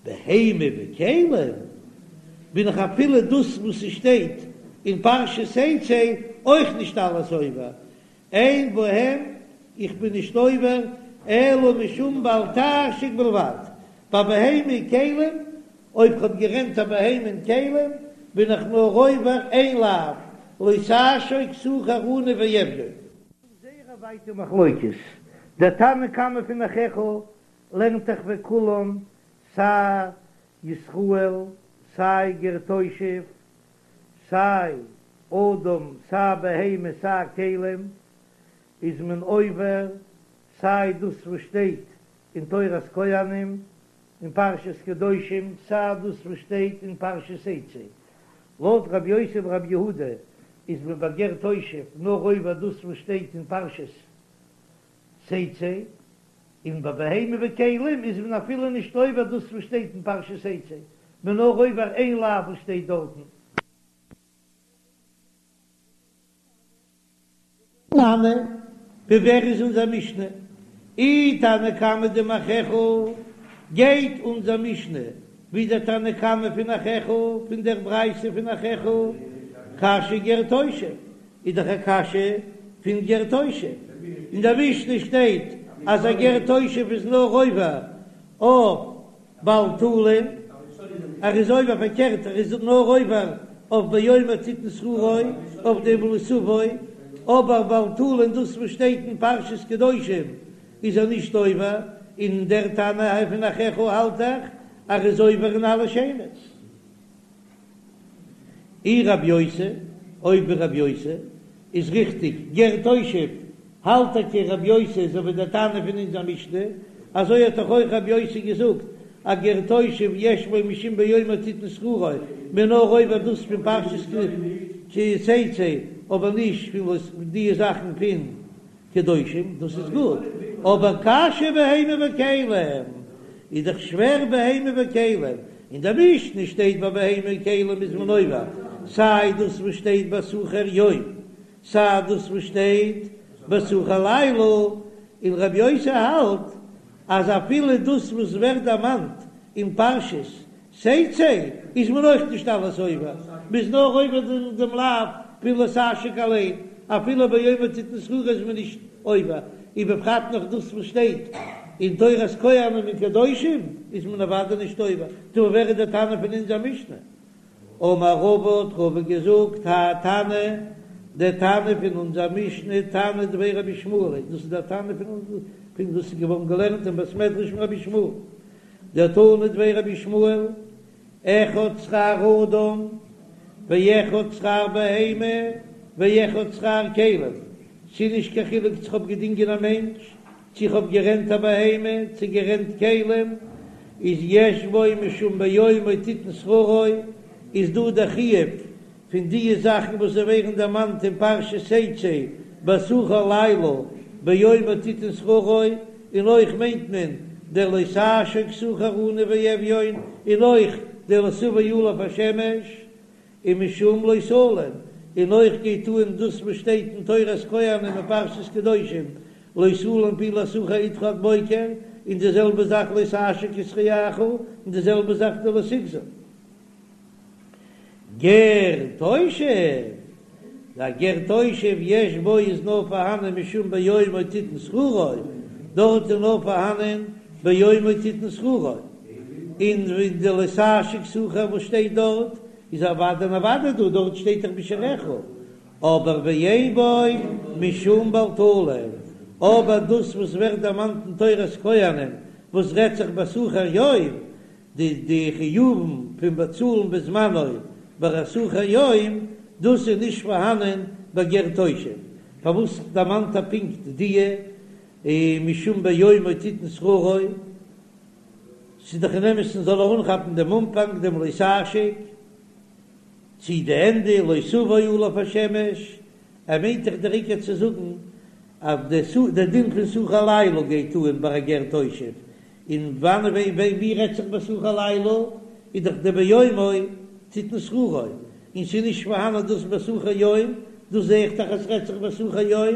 בהמה וכלים בין איך אפילו דאס וואס ס'שטייט אין פרשת תצא אויך נישט אלעס עובר, אין בהם איך בין נישט עובר אלא משום בל תעשוק בלבד. ביי בהמה כלים, אויב כ'האב גערענט א בהמה און כלים, בין איך נאר עובר איין לאו, לא תעשוק שכיר עני ואביון. זייער א ווייטע מחלוקת, דער תנא קמא פון אחיך לערנט דאך וכולם סיי ישראל סיי גר תושב סיי אדם סיי בהמה סיי כלים איז מען עובר סיי דאס וואס שטייט אין תורת כהנים אין פרשת קדושים סיי דאס וואס שטייט אין פרשת תצא. לויט רבי יוסי ברבי יהודה איז מען ביי גר תושב נאר עובר דאס וואס שטייט אין פרשת תצא, און ביי בהמה וכלים איז מען אפילו נישט עובר דאס וואס שטייט אין פרשת תצא, מען נאר עובר איין לאו וואס שטייט דארטן. תנא, ווי ווער איז אונזער משנה? אי תנא קמא דמאחיך, גייט אונזער משנה ווי דער תנא קמא פון אחיך, פון דער ברייתא פון אחיך, קשיא גר תושב, איז דאך א קשיא פון גר תושב, אין דער משנה שטייט אז א גר תושב איז נאר עובר אויף בל תלין, ער איז עובר פארקערט, ער איז נאר עובר אויף ביומו תתן שכרו, אויף דעם לא תבוא, אבער בל תלין דאס וואס שטייט אין פרשת קדושים איז ער נישט עובר, און דער תנא פון אחיך האלט דאך אז ער איז עובר אין אלע שמות. אי רב יוסי, אויב ווי רב יוסי איז ריכטיג, גר תושב, האלט טאקע רב יוסי אזוי ווי דער תנא פון אונזער משנה, אזוי האט דאך אויך רב יוסי געזאגט אז גר תושב יש בו משום ביומו תתן שכרו, מ'איז נאר עובר דאס פון פרשת כי תצא, אבער נישט פון וואס די זאכן פון קדושים, דאס איז גוט, אבער קשיא בהמה וכלים, איז דאך שווער בהמה וכלים, אין דער משנה שטייט ביי בהמה וכלים איז מען עובר, סיי דאס וואס שטייט ביי שכיר יום, סיי דאס וואס שטייט ביי שכיר לילה, און רבי יוסי האלט אז אפילו דאס וואס ווערט דערמאנט אין פרשת תצא איז מען אויך נישט אלעס עובר, מ'איז נאר עובר דעם לאו פון לא תעשוק אליין, אפילו ביומו תתן שכרו איז מען נישט עובר, ובפרט נאך דאס וואס שטייט אין תורת כהנים און קדושים איז מען אוודאי נישט עובר, טא ווער איז דער תנא פון אונזער משנה? אמר רבא האט רבא געזאגט האי תנא, דער תנא פון אונזער משנה תנא דבי רבי ישמעאל, דאס איז דער תנא פון פון וואס איז געווארן געלערנט אין בית מדרש פון רבי ישמעאל, דתנא דבי רבי ישמעאל, אחד שכר אדם ואחד שכר בהמה ואחד שכר כלים, ס'איז נישט קיין חילוק צו כ'האב געדינגען א מענטש, צו כ'האב גערענט א בהמה, צו גערענט כלים, איז יש בו משום ביומו תתן שכרו, איז דא דער חיוב פון די זאכן וואס זיי ווערן דערמאנט אין פרשת תצא בשכיר לילה ביומו תתן שכרו, און אויך מיינט מען דער לא תעשוק שכיר עני ואביון, און אויך דער לא תבוא עליו השמש, ומשום לא תלין, און אויך גייט אן דאס וואס שטייט אין תורת כהנים אין פרשת קדושים לא תלין פעולת שכיר אתך עד בוקר, און די זעלבע זאך לא תעשוק את רעך, און די זעלבע זאך די לא תגזול. גר תושב, דער גר תושב יש בו איז נאר פארהאנען משום ביומו תתן שכרו, דארט איז נאר פארהאנען ביומו תתן שכרו, און ווען די לא תעשוק שכיר וואס שטייט דארט איז אוודאי און אוודאי דא, דארט שטייט דאך בשעריך, אבער ואין בו משום בל תלין, אבער דאס וואס ווערט דערמאנט אין תורת כהנים וואס רעדט זיך בשכיר יום, די די חיובים פון באצאלן בזמנו ביי א שכיר יום, דאס איז נישט פארהאנען ביי גר תושב, פארוואס דערמאנט ער פונקט דיע משום ביומו תתן שכרו? ס'איז דאך אין אמת'ן זאל ער אנכאפן דעם אנפאנג דעם לא תעשוק, צי די ענדע לא תבוא עליו השמש, ער מיינט דאך דער עיקר צו זאגן אז די דין פון שכיר לילה גייט אן ביי א גר תושב, און וואנען ווען ווען ווי רעדט זיך בשכיר לילה איז דאך די ביומו תתן שכרו, און ס'איז נישט פארהאנען דאס בשכיר יום, דאס זעה איך דאך אז ס'רעדט זיך בשכיר יום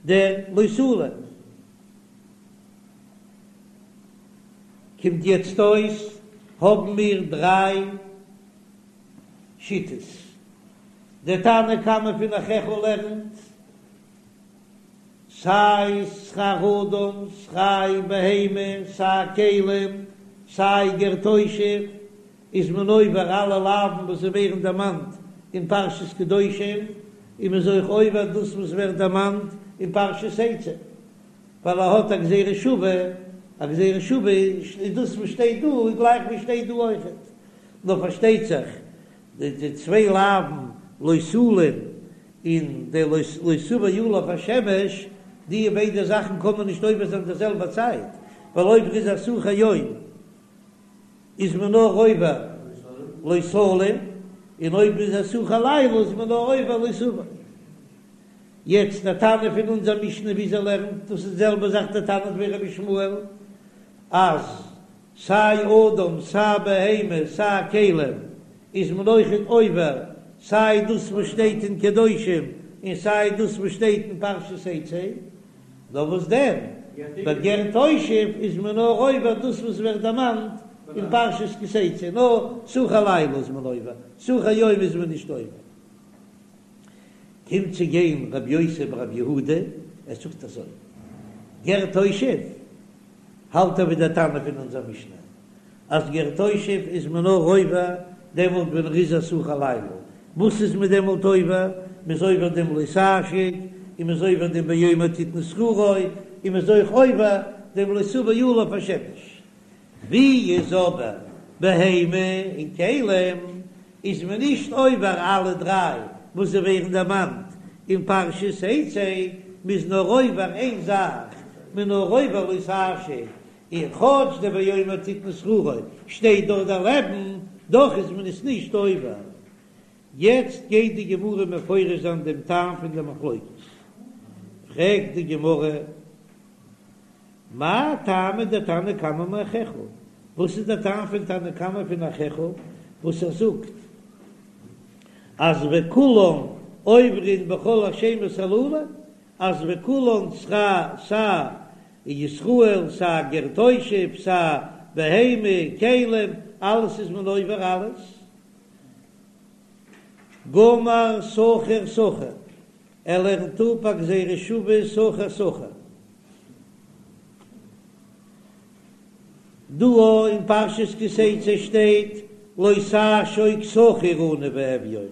דער לא תלין. קומט יעצט אויס האבן מיר דריי שיטות, דער תנא קמא פון אחיך לערנט סיי שכר אדם, סיי בהמה, סיי כלים. סיי גר תושב איז מען עובר אלע לאווין וואס ווערן דערמאנט אין פרשת קדושים, און מען איז אויך עובר דאס וואס ווערט דערמאנט אין פרשת תצא, ווייל ער האט א גזירה שווה, א גזירה שווה איז דאס וואס שטייט דא איז גלייך ווי שטייט דא אויכעט, נאר פארשטייט זיך די די צוויי לאווין לא תלין און די לא תבוא עליו השמש, די ביידע זאכן קען מען נישט עובר זיין די זעלבע צייט, ווייל אויב ער איז א שכיר יום איז מען נאר עובר לא תלין, און אויב איז א שכיר לילה איז מען נאר עובר לא תבוא. יעצט דער תנא פון אונזער משנה ווי אזוי לערנט, דאס איז די זעלבע זאך דער תנא ווי רבי ישמעאל, אז סיי אדם סיי בהמה סיי כלים איז מען אויכעט עובר סיי דאס וואס שטייט אין קדושים און סיי דאס וואס שטייט אין פרשת תצא, נאר וואס דען ביי גר תושב איז מען נאר עובר דאס וואס ווערט דערמאנט אין פרשת כי תצא, נאר שכיר לילה איז מען עובר, שכיר יום איז מען נישט עובר. קומט צו גיין רבי יוסי ברבי יהודה, ער זאגט אזוי, גר תושב האלט ער ווי דער תנא פון אונזער משנה, אז גר תושב איז מען נאר עובר דעמאלט ווען ער איז א שכיר לילה, וואס איז מען דעמאלט עובר? מען איז עובר דעם לא תעשוק, און מען איז עובר דעם ביומו תתן שכרו, און מען איז אויך עובר דעם לא תבוא עליו השמש. ווי איז אבער בהמה און כלים איז מען נישט עובר אלע דריי וואס זיי ווערן דערמאנט אין פרשת תצא, מ'איז נאר עובר איין זאך, מ'איז נאר עובר לא תעשוק, און כאטש די ביומו תתן שכרו שטייט דארט דערלעבן, דאך איז מען עס נישט עובר. יעצט גייט די גמרא מפרש זיין דעם טעם פון די מחלוקת, פרעגט די גמרא, מאי טעמא דתנא קמא מאחיך? וואס איז דער טעם פון תנא קמא פון אחיך וואס ער זאגט אז וכולן עוברין בכל השמות הללו, אז וכולן סיי סיי ישראל סיי גר תושב סיי בהמה כלים אלעס איז מען עובר אלעס? גמר שכיר שכיר, ער לערנט אפ א גזירה שווה שכיר שכיר. דא אין פרשת כי תצא שטייט לא תעשוק שכיר עני ואביון,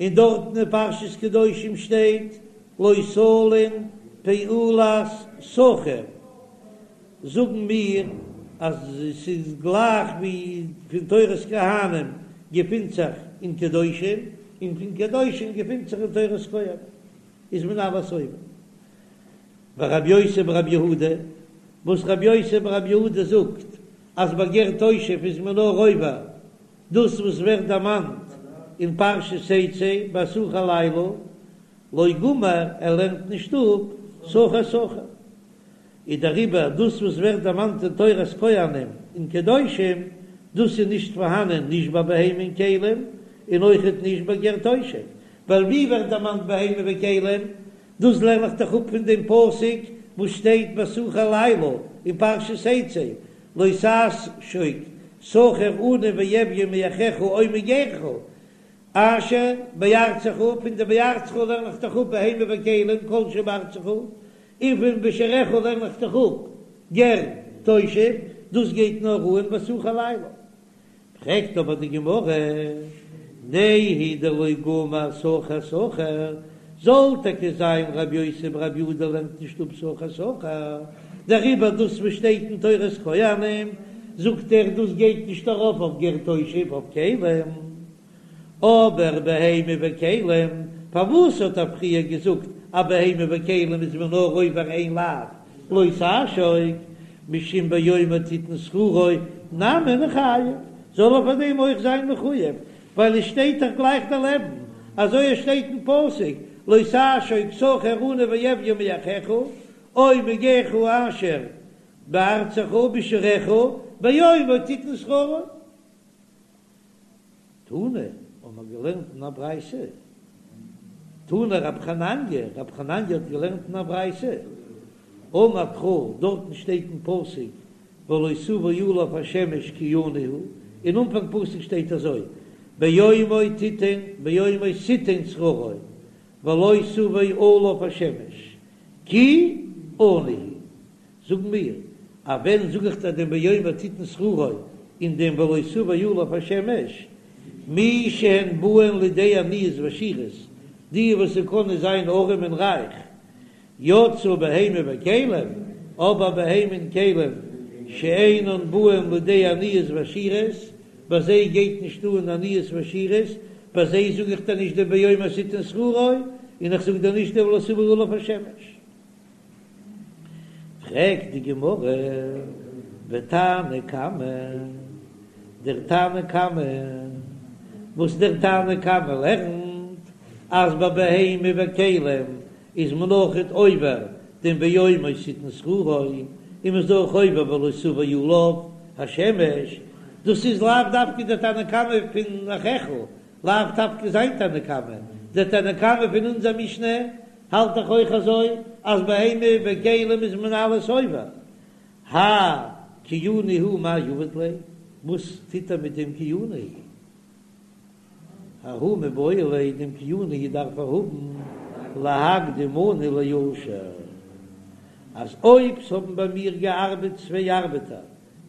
און דארטן אין פרשת קדושים שטייט לא תלין פעולת שכיר, זאגן מיר אז ס'איז גלייך ווי פון תורת כהנים געפינט זיך אין קדושים, און פון קדושים געפינט זיך אין תורת כהנים, איז מען אלעס עובר. ורבי יוסי ברבי יהודה, וואס רבי יוסי ברבי יהודה זאגט אז ביי גר תושב איז מען נאר עובר דאס וואס ווערט דערמאנט אין פרשת תצא ביי שכיר לילה, לא גמר, ער לערנט נישט אפ שכיר שכיר. איז דעריבער דאס וואס ווערט דערמאנט אין תורת כהנים און קדושים, דאס איז נישט פארהאנען נישט ביי בהמה און כלים, און אויכעט נישט ביי גר תושב, ווייל ווי ווערט דערמאנט בהמה וכלים? דאס לערן איך דאך אפ פון דעם פסוק וואס שטייט ביי שכיר לילה אין פרשת תצא, לא תעשוק שכיר עני ואביון מאחיך או מגרך, אשר בארצך, פון די בארצך לערן איך דאך אפ בהמה וכלים כל שבארצך, און פון בשעריך לערן איך דאך אפ גר תושב, דאס גייט נאר אן ביי שכיר לילה. פרעגט אבער די גמרא, נהי דלא גמר שכיר שכיר, זאל טאקע זיין רבי יוסי ברבי יהודה לערנט נישט אפ שכיר שכיר, דעריבער דאס וואס שטייט אין תורת כהנים זאגט ער דאס גייט נישט ארויף אויף גר תושב אויף כלים, אבער בהמה וכלים, פארוואס האט ער פריער געזאגט אז בהמה וכלים איז מען נאר עובר איין לאו לא תעשוק, משום ביומו תתן שכרו נמי ניחייב, זאל ער פאר דעם אויך זיין מחויב, ווייל עס שטייט דאך גלייך דערלעבן, אזוי עס שטייט אין פסוק לא תעשוק שכיר עני ואביון מאחיך, או מגרך אשר בארצך בשעריך ביומו תתן שכרו. תנא, האבן מיר געלערנט אין א ברייתא, תנא רב חנניה, רב חנניה האט געלערנט אין א ברייתא, אמר קרא, דארטן שטייט אין פסוק ולא תבוא עליו השמש כי עני הוא, אין אנפאנג פסוק שטייט אזוי, ביומו תתן ביומו תתן שכרו ולא תבוא עליו השמש כי עני הוא, זאגן מיר. אז ווען זאג איך דיר דעם באומר תתן שכרו און דעם ולא תבא עליו השמש, מי שהן באין לידי עניות ועשירות, די וואס ס'קענען זיין ארעם און רייך, יצאה בהמה וכלים, אבער בהמה און כלים שאינן באין לידי עניות ועשירות, ביי זיי גייט נישט אן עניות ועשירות, ביי זיי זאג איך דיר נישט דעם באומר תתן שכרו, און איך זאג דיר נישט דעם ולא תבא עליו השמש. פרעגט די גמרא, ותנא קמא, דער תנא קמא, וואס דער תנא קמא לערנט אז ביי בהמה וכלים איז מען אויכעט עובר דעם באומר תתן שכרו, און מען איז אויך עובר ולא תבא עליו השמש, דאס איז לאו דווקא דער תנא קמא פון אחיך, לאו דווקא זיין תנא קמא, דער תנא קמא פון אונזער משנה האלט דאך אויך אזוי אז בהמה וכלים איז מען אלעס עובר. האי כי עני הוא מאי עביד ליה, וואס טוט ער מיט דעם כי עני הוא? ההוא מיבעי ליה, דעם כי עני הוא דארף ער האבן להקדים עני לעשיר, אז אויב ס'האבן ביי מיר געארבעט צוויי ארבעטער,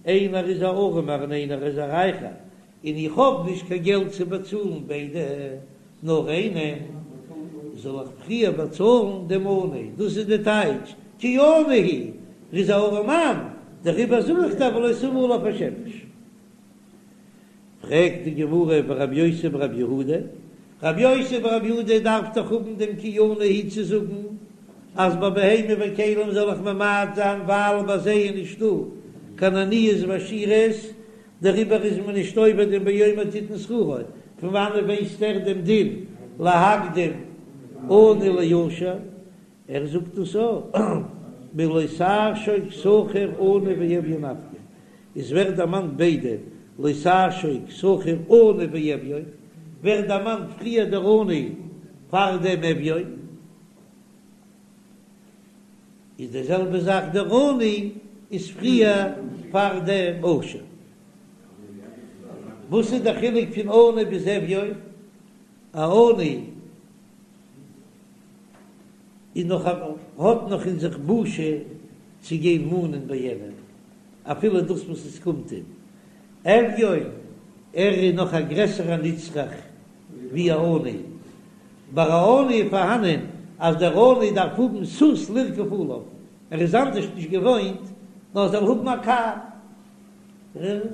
איינער איז א ארעמער און איינער איז א רייכער, און איך האב נישט קיין געלט צו באצאלן ביידע, נאר איינעם, זאל איך פריער באצאלן דעם עני, דאס איז די טייטש, כי עני הוא, ער איז א ארעמאן, דעריבער זאג איך דיר ולא תבא עליו השמש. פרעגט די גמרא ורבי יוסי ברבי יהודה, רבי יוסי ברבי יהודה דארף דאך האבן דעם כי עני הוא צו זאגן אז ביי בהמה וכלים זאל איך ממעט זיין ווייל ביי זיי איז נישטא קיין עניות ועשירות, דעריבער איז מען נישט עובר דעם באומר תתן שכרו, פון וואנעט ווייסט ער דעם דין להקדים עני לעשיר? ער זאגט דאס אויך מלא תעשוק שכיר עני ואביון נפקא, עס ווערט דערמאנט ביידע לא תעשוק שכיר עני ואביון, ווערט דערמאנט פריער דער עני פאר דעם אביון. איז די זעלבע זאך דער עני איז פריער פאר דעם עשיר. וואס איז דער חילוק פון עני ביז אביון? א עני איז נאך האט נאך אין זיך בושה צו גיין מאנען ביי יענעם אפילו דאס וואס עס קומט אים. אביון ער איז נאך א גרעסערע נצרך ווי א עני. ביי א עני איז פארהאנען אז דער עני דארף האבן סוס לרכוב עליו, ער איז אנדערש נישט געוואוינט נאר זאל האבן א קאר.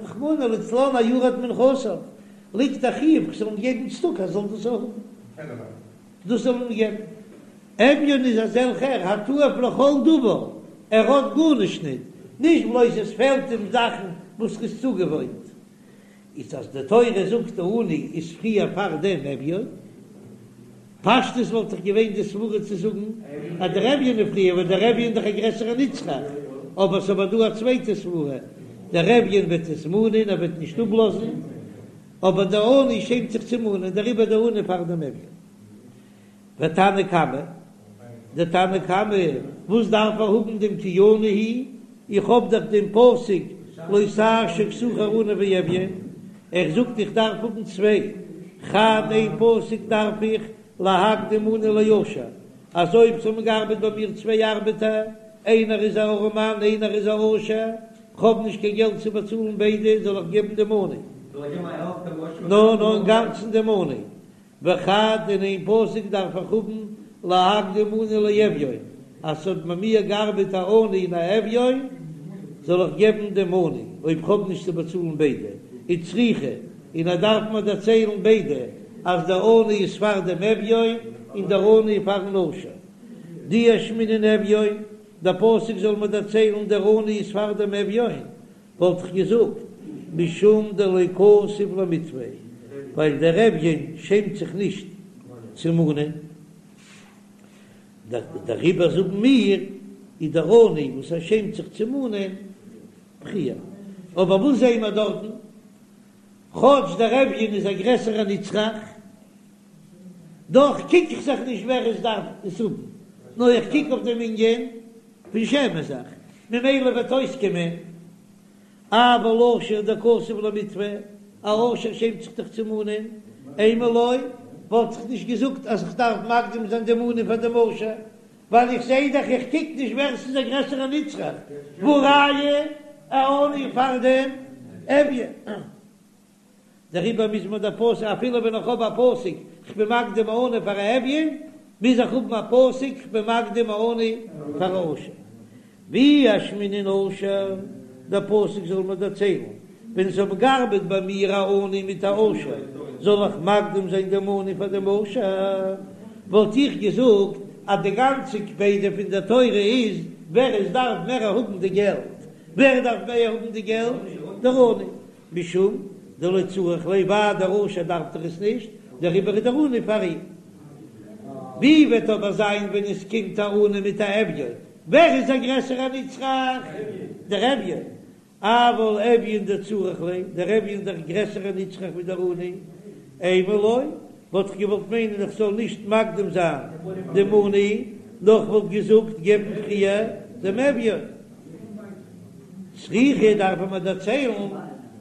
רחמנא לצלן א יורד מנכסיו, ליגט א חיוב כ'זאל אים געבן צדקה ער זאל דאס האבן. דאס זאל אים געבן. אביון איז אזעלכער התועב לכל דבר, ער האט גארנישט ניט, נישט בלויז עס פעלט אים זאכן וואס ר'איז צוגעוואוינט, איז אז די תורה זאגט די עני איז פריער פאר דעם אביון, פשטות וואלט דאך געווען די סברה צו זאגן אז דער אביון איז פריער ווייל דער אביון איז דאך א גרעסערע נצרך, אבער ס'אבער דא א צווייטע סברה, דער אביון וועט עס מאנען ער וועט נישט אפלאזן, אבער דער עני שעמט זיך צו מאנען דעריבער דער עני פאר דעם אביון. ותנא קמא, דער תנא קמא, וואס דארף ער האבן דעם כי עני הוא? איך האב דאך דעם פסוק לא תעשוק שכיר עני ואביון, ער זאגט איך דארף האבן צוויי, חד איין פסוק דארף איך להקדים עני לעשיר, אז אויב ס'האבן געארבעט ביי מיר צוויי ארבעטער, איינער איז א ארעמאן איינער איז א עשיר, כ'האב נישט קיין געלט צו באצאלן ביידע, זאל איך געבן דעם עני? נאר נאר אינגאנצן דעם עני. וחד און איין פסוק דארף איך האבן להקדים עני לאביון, אז ס'האט ביי מיר געארבעט א עני און א אביון, זאל איך געבן דעם עני אויב כ'האב נישט צו באצאלן ביידע, וצריכא, און ער דארף מיר דערציילן ביידע, אז דער עני איז פאר דעם אביון און דער עני איז פארן עשיר. דאי אשמעינן אביון, דער פסוק זאל מיר דערציילן דער עני איז פאר דעם אביון, וואלט איך געזאגט משום דלא כתיב למיתבא, ווייל דער אביון שעמט זיך נישט צו מאנען, דעריבער זאגן מיר איז דער עני וואס ער שעמט זיך צו מאנען פריער. אבער וואס זעען מיר דארטן? כאטש דער אביון איז א גרעסערע נצרך, דאך קוק איך זיך נישט ווער עס דארף עס האבן, נאר איך קוק אויף דעם ענין פון שעמען זיך, ממילא וועט אויסקומען אבל עשיר דכתיב למיתבא, א עשיר שעמט זיך דאך צו מאנען, אימא לא, וואלט איך נישט געזאגט אז איך דארף מקדים זיין דעם עני פאר דעם עשיר. ווייל איך זעה דאך איך קוק נישט ווער ס'איז דער גרעסערע נצרך, והא ראיה א עני פאר דעם אביון. דעריבער מוז מען דער פסוק אפילו ווען איך האב א פסוק כ'בין מקדים א עני פאר א אביון, מוז איך האבן א פסוק כ'בין מקדים א עני פאר א עושר. ואי אשמעינן עושר, דער פסוק זאל מיר דערציילן, ווען עס האבן געארבעט ביי מיר א עני מיט א עושר, זאל איך מקדים זיין דעם עני פאר דעם עושר? וואלט איך געזאגט אז די גאנצע קפידא פון דער תורה איז ווער עס דארף מער האבן די געלט, ווער דארף מער האבן די געלט? דער עני. משום דלא צריך ליה ווייל דער עושר דארף דאך עס נישט, דעריבער איז דער עני פאר אים. ווי וועט אבער זיין ווען עס קומט א עני מיט א אביון, ווער איז א גרעסערע נצרך? דער אביון. אבל אביון דצריך ליה, דער אביון איז דאך גרעסערע נצרך ווי דער עני. אימא לא, וואלט איך געוואלט מיינען איך זאל נישט מקדים זיין דעם עני, נאר איך וואלט געזאגט געבן פריער דעם אביון. צריכא דארף מען דערציילן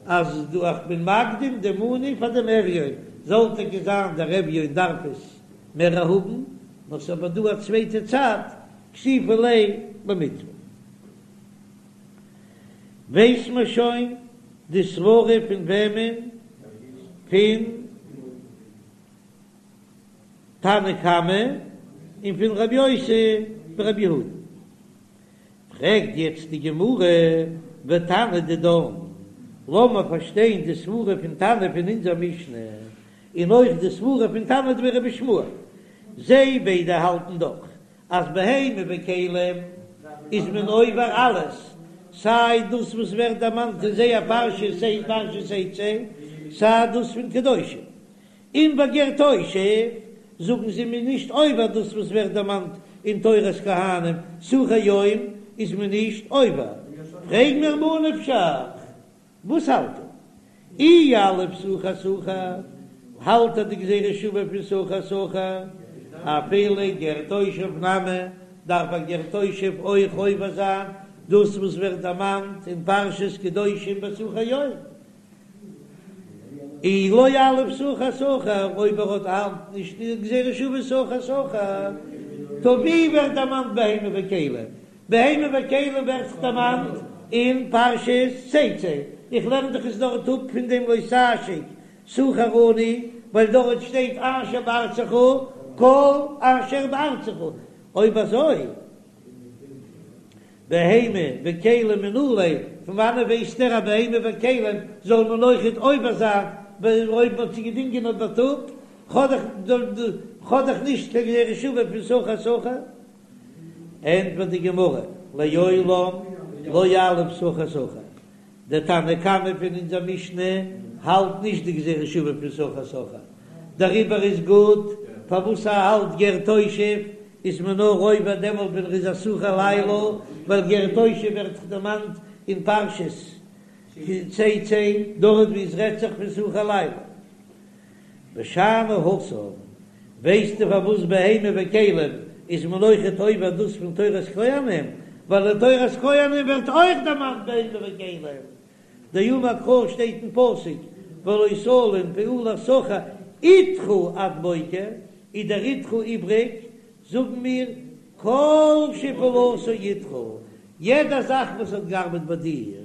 אז דא איך בין מקדים דעם עני פאר דעם אביון, זאל טאקע זיין דער אביון דארף עס מער האבן, נאר ס'איז אבער דא א צווייטע צד, כסיפא ליה למיתבא. ווייס מען שוין די סברה פון וועמען? פון תנא קמא און פון רבי יוסי ברבי יהודה. פרעגט יעצט די גמרא, ותנא דידן, לאמיר פארשטיין די סברה פון תנא פון אונזער משנה, און אויך די סברה פון תנא דבי רבי ישמעאל, זיי ביידע האלטן דאך אז בהמה וכלים איז מען עובר אלעס, סיי דאס וואס ווערט דערמאנט אין זייער פרשה סיי פרשת תצא, סיי דאס פון קדושים. און ביי גר תושב זאגן זיי מ'איז נישט עובר דאס וואס ווערט דערמאנט אין תורת כהנים, שכיר יום איז מען נישט עובר. פרעג מיר ממה נפשך, וואס האלט ער? אי יליף שכיר שכיר, האלט ער די גזירה שווה פון שכיר שכיר, אפילו גר תושב נמי, דארף א גר תושב אויך עובר זיין דאס וואס ווערט דערמאנט אין פרשת קדושים בשכיר יום. אי לא יליף שכיר שכיר, אויב ער האט האלט נישט די גזירה שווה שכיר שכיר, טא ווי ווערט דערמאנט בהמה וכלים? בהמה וכלים ווערט דאך דערמאנט אין פרשת תצא, איך לערן דאך עס דארט אפ פון דעם לא תעשוק שכיר עני, ווייל דארט שטייט אשר בארצך כל אשר בארצך, אויב אזוי בהמה וכלים מנא ליה, פון וואנעט ווייסט ער אז בהמה וכלים זאל מען אויכעט עובר זיין אויב מ'האט זיי געדינגען אויף בייטאג? כ'האב דאך נישט קיין גזירה שווה פון שכיר שכיר. ענטפערט די גמרא, לעולם לא יליף שכיר שכיר, דער תנא קמא פון אונזער משנה האלט נישט די גזירה שווה פון שכיר שכיר, דעריבער איז גוט פארוואס ער האלט גר תושב איז מען נאר עובר דעמאלט ווען ער איז א שכיר לילה, ווייל גר תושב ווערט דאך דערמאנט אין פרשת תצא דארט ווי עס רעדט זיך פון שכיר לילה. ושאני התם, ווייסטו פארוואס בהמה וכלים איז מען אויכעט עובר דאס פון תורת כהנים? ווייל אין תורת כהנים ווערט אויך דערמאנט בהמה וכלים, דאמר קרא שטייט אין פסוק ולא תלין פעולת שכיר אתך עד בוקר, איז דער אתך איבריג, זאגן מיר כל שפעולתו אתך, יעדע זאך וואס האט געארבעט ביי דיר,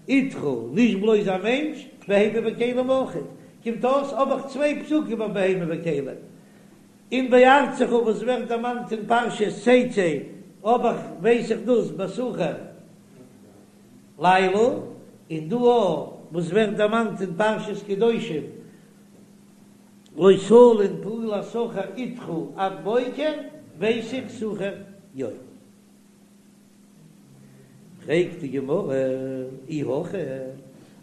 אתך, נישט בלויז א מענטש, בהמה וכלים אויכעט, קומט אויס האב איך צוויי פסוקים אויף בהמה וכלים, און בארצך וואס ווערט דערמאנט אין פרשת תצא האב איך ווייס איך דאס בשכיר לילה, און דא אויך וואס ווערט דערמאנט אין פרשת קדושים לא תלין פעולת שכיר אתך עד בוקר ווייס איך שכיר יום. פרעגט די גמרא, אי הכי,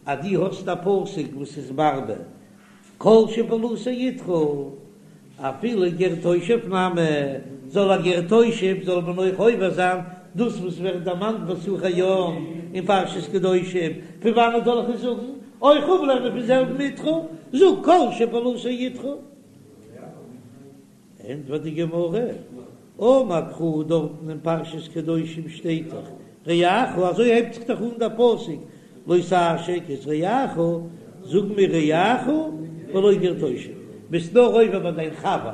אז דו האסט א פסוק וואס איז מרבה כל שפעולתו אתך, אפילו גר תושב נמי, זאל א גר תושב זאל מען אויך עובר זיין דאס וואס ווערט דערמאנט בשכיר יום אין פרשת קדושים, פון וואנעט זאל איך עס זאגן? אויך אפלערנען פון זעלבן אתך, זאג כל שפעולתו אתך. ענטפערט די גמרא, אמר קרא דארטן אין פרשת קדושים שטייט דאך רעך, אזוי הייבט זיך דאך אן דער פסוק, לא תעשוק את רעך, זאג מיר רעך ולא גר תושב, ביסט נאר עובר ביי דיין חבר,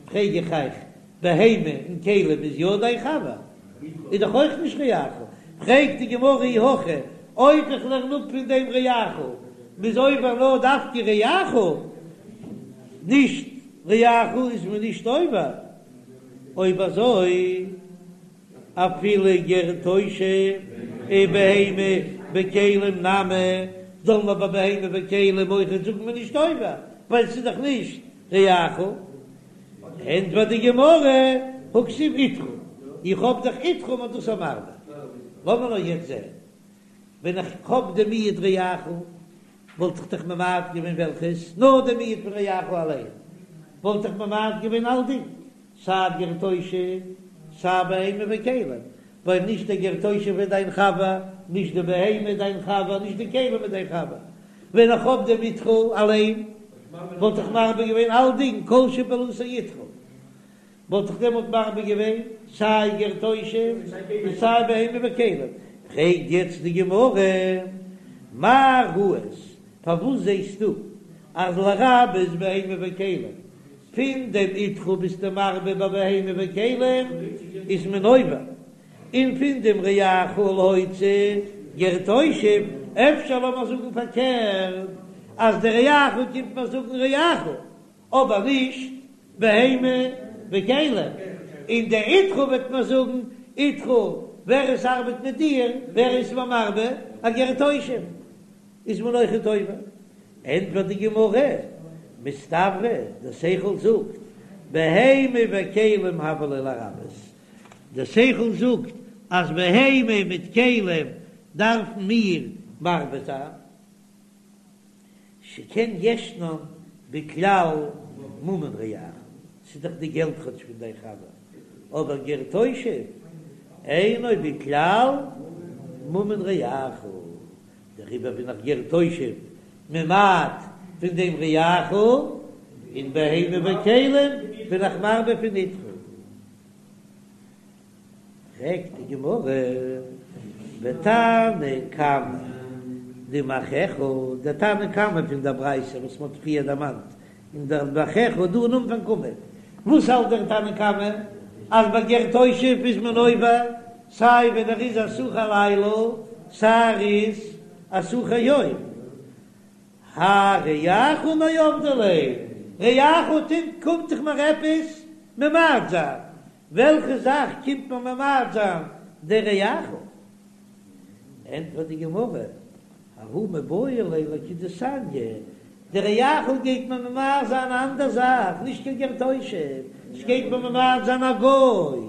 פרעג איך אייך. בהמה און כלים איז יא דיין חבר, איז דאך אויך נישט רעך. פרעגט די גמרא אי הכי, אויב איך לערן אפ פון דעם רעך, מ'איז עובר נאר דווקא רעך, נישט רעך איז מען נישט עובר, אויב אזוי אפילו גר תושב ובהמה וכלים נמי, זאל מען ביי בהמה וכלים אויכעט זאגן מ'איז נישט עובר, ווייל ס'איז דאך נישט רעך. ענטפערט די גמרא, הכתיב איתך, איך האב דאך איתך מ'איז דאס מרבה. לאמיר נאר יעצט זען, ווען איך האב די מיעוט רעך, וואלט איך דאך ממעט געווען וועלכעס? נאר די מיעוט פון רעך אליין, וואלט איך ממעט געווען אלדינג, סיי גר תושב, סיי בהמה וכלים, ווייל נישט דער גר תושב איז דיין חבר, נישט די בהמה איז דיין חבר, נישט די כלים איז דיין חבר. ווען איך האב דעם איתך אליין, וואלט איך מרבה געווען אלדינג, כל שפעולתו איתך, וואלט איך דעמאלט מרבה געווען סיי גר תושב און סיי בהמה וכלים. פרעגט יעצט די גמרא, מה ראית, פארוואס זעסטו אז לרבות בהמה וכלים, פון דעם איתך ביסטו מרבה ביי בהמה וכלים איז מען עובר, און פון דעם רעך להוציא גר תושב, אפשר לאמיר זאגן פארקערט אז דער רעך קומט מיר זאגן רעך, אבער נישט בהמה וכלים, און דער איתך וועט מיר זאגן איתך, ווער עס ארבעט מיט דיר, ווער איז מען מרבה, א גר תושב איז מען אויכעט עובר. ענטפערט די גמרא, מסתברא, דער שכל זאגט, בהמה וכלים הוה ליה לרבות, דער שכל זאגט אז בהמה מיט כלים דארפן מיר מרבה זיין, שכן ישנן בכלל ממון רעך, ס'איז דאך די געלט כאטש פון דיין חבר, אבער גר תושב אינו בכלל ממון רעך, דעריבער בין איך גר תושב ממעט פון דעם רעך, און בהמה וכלים בין איך מרבה פון איתך. פרעגט די גמרא, ותנא קמא דמאחיך, דער תנא קמא פון דער ברייתא וואס מען האט פריער דערמאנט, אין דער מאחיך דא אין אנפאנג עמוד, וואס האלט דער תנא קמא? אז ביי גר תושב איז מען עובר סיי ווען ער איז א שכיר לילה סיי ער איז א שכיר יום. האי רעך מאי עבדי ליה, רעך קומט דאך מיר עפעס ממעט זיין, וועלכע זאך קומט מיר ממעט זיין דער רעך? ענטפערט די גמרא, ההוא מיבעי ליה לכדתניא, דער רעך גייט מיר ממעט זיין א אנדער זאך, נישט קיין גר תושב, ס'גייט מיר ממעט זיין א גוי,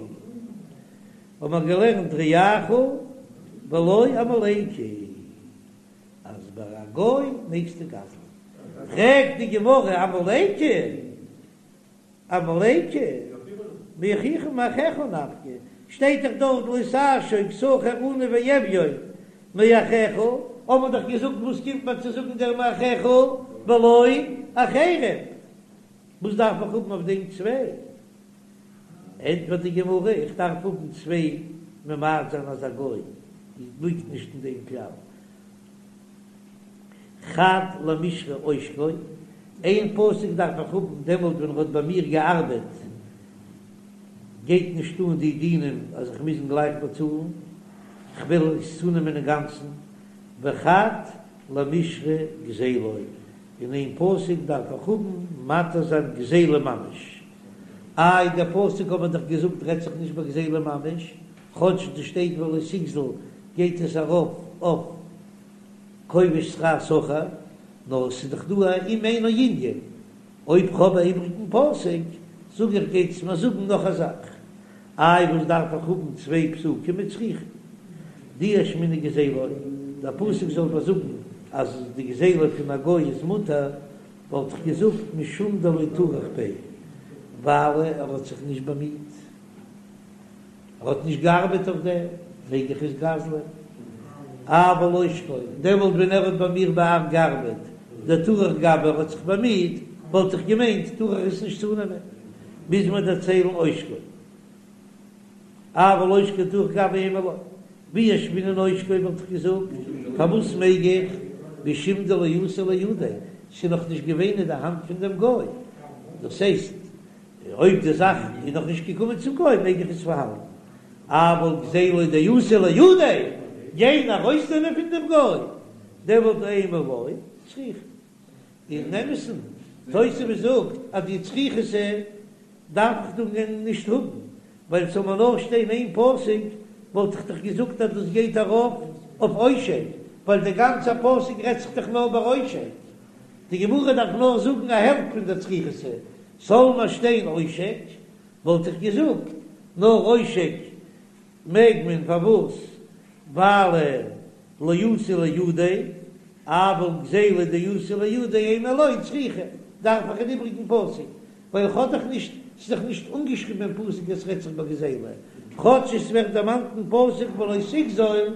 האבן מיר געלערנט רעך ולא עמלקי. אז ביי א גוי מעגסטו גזל'ן. פרעגט די גמרא עמלקי? עמלקי? מאחיך מאחיך נפקא, שטייט דאך דארט לא תעשוק שכיר עני ואביון מאחיך, האט מען דאך געזאגט וואס קומט מיר צו זאגן דער מאחיך ולא אחרים, וואס דארף איך האבן אויף דעם צוויי? ענטפערט די גמרא, איך דארף האבן צוויי ממעט זיין אז א גוי ליגט נישט אין דעם כלל. חד למישרי עושקו, איין פסוק דארף איך האבן דעמאלט ווען ער האט ביי מיר געארבעט, גייט נישט אן די דינים אז איך מוז אים גלייך באצאלן, כ'וויל עס צונעמען אינגאנצן, וחד למישרי גזילו, און איין פסוק דארף איך האבן מתיר זיין גזילה ממש. איי דער פסוק האט מען דאך געזאגט רעדט זיך נישט ביי גזילה ממש, כאטש דא שטייט ולא תגזול גייט עס ארויף אויף כובש שכר שכיר, נאר עס איז דאך דא א אם אינו ענין, אויב כ'האב א איבריגן פסוק זאג איך גייט עס מיר זאגן נאך א זאך, איי וואס דארף איך האבן צוויי פסוקים וצריכא דאי אשמעינן גזילו, דער פסוק זאל מיר זאגן אז די גזילה פון א גוי איז מותר, וואלט איך געזאגט משום דלא טרח ביה, ווייל ער האט זיך נישט באמיט, ער האט נישט געארבעט אויף דעם, מעג איך עס גזל'ען. אבל עושקו, דעמאלט ווען ער האט ביי מיר געארבעט, דטרח גביה ער האט זיך באמיט, וואלט איך געמיינט טאר איך עס נישט צונעמען, מוז מען דערציילן עושקו. אבל עושקו דטרח גביה אימא לא, ואי אשמעינן עושקו וואלט איך געזאגט, פארוואס מעג איך, משום דלא אתא לידיה, ס'איז נאך נישט געווען אין די האנט פון דעם גוי, דאס הייסט. אויב די זאך איז נאך נישט געקומען צום גוי מעג איך עס פארהאלטן, אבל גזילה דאתא לידיה, גיין ארויסנעמען פון דעם גוי, דעמאלט אימא לא צריכא. אין אמת'ן, תוספות זאגט אז די צריכותא דארף איך דא נישט האבן, ווייל ס'זאל מיר נאר שטיין איין פסוק וואלט איך דאך געזאגט אז דאס גייט ארויף אויף עושק, ווייל דער גאנצער פסוק רעדט זיך דאך נאר ביי עושק. די גמרא דארף נאר זאגן א העלפט פון דער צריכותא, זאל מיר שטיין עושק, וואלט איך געזאגט נאר עושק מעג מען, פארוואס? ווייל לא אתא לידיה, אבל גזילה דאתא לידיה אימא לא צריכא, דארף איך אן איבריגן פסוק, ווייל איך האב דאך נישט, ס'איז דאך נישט אנגעשריבן אין פסוק אז ס'רעדט זיך ביי גזילה, כאטש עס ווערט דערמאנט אין פסוק ולא תגזול,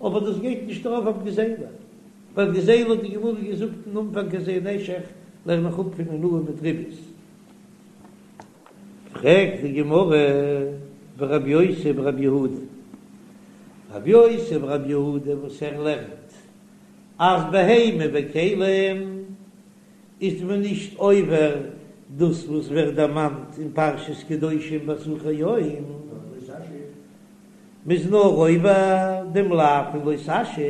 אבער דאס גייט נישט ארויף אויף גזילה, ווייל גזילה האט די גמרא געזאגט אין אנפאנג אז זה נשך לערן איך אפ פון אונאה מיט ריבית. פרעגט די גמרא ורבי יוסי ברבי יהודה, רבי יוסי ברבי יהודה וואס ער לערנט אז בהמה וכלים איז מען נישט עובר דאס וואס ווערט דערמאנט אין פרשת קדושים ביי שכיר יום, מ'איז נאר עובר דעם לאו פון לא תעשוק.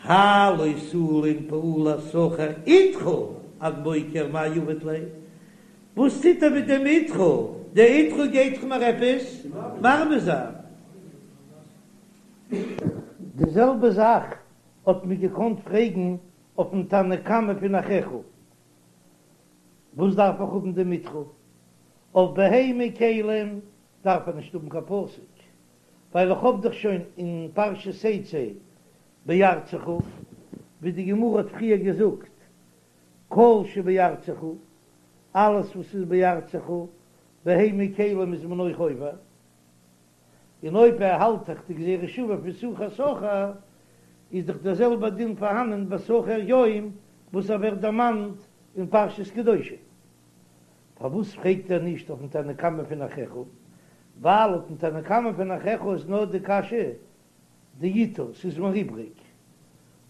האי לא תלין פעולת שכיר אתך עד בוקר מאי עביד ליה, וואס טוט ער מיט דעם אתך? דער אתך גייט דאך מיר עפעס מרבה זיין. די זעלבע זאך האט מען געקאנט פרעגן אויפן תנא קמא פון אחיך, וואס דארף איך האבן דעם אתך? אויף בהמה כלים דארף ער נישט האבן קיין פסוק, ווייל איך האב דאך שוין אין פרשת תצא בארצך, ווי די גמרא האט פריער געזאגט, כל שבארצך, אלעס וואס איז בארצך, בהמה כלים איז מען אויך עובר, און אויב ער האלט דאך די גזירה שוה פון שכיר שכיר, איז דאך דער זעלבער דין פארהאנען ביי שכיר יום וואס ער ווערט דערמאנט אין פרשת קדושים. פארוואס פרעגט ער נישט אויפן תנא קמא פון אחיך? ווייל אויפן תנא קמא פון אחיך איז נאר די קשיא דאיתור, ס'איז מיר איבריג.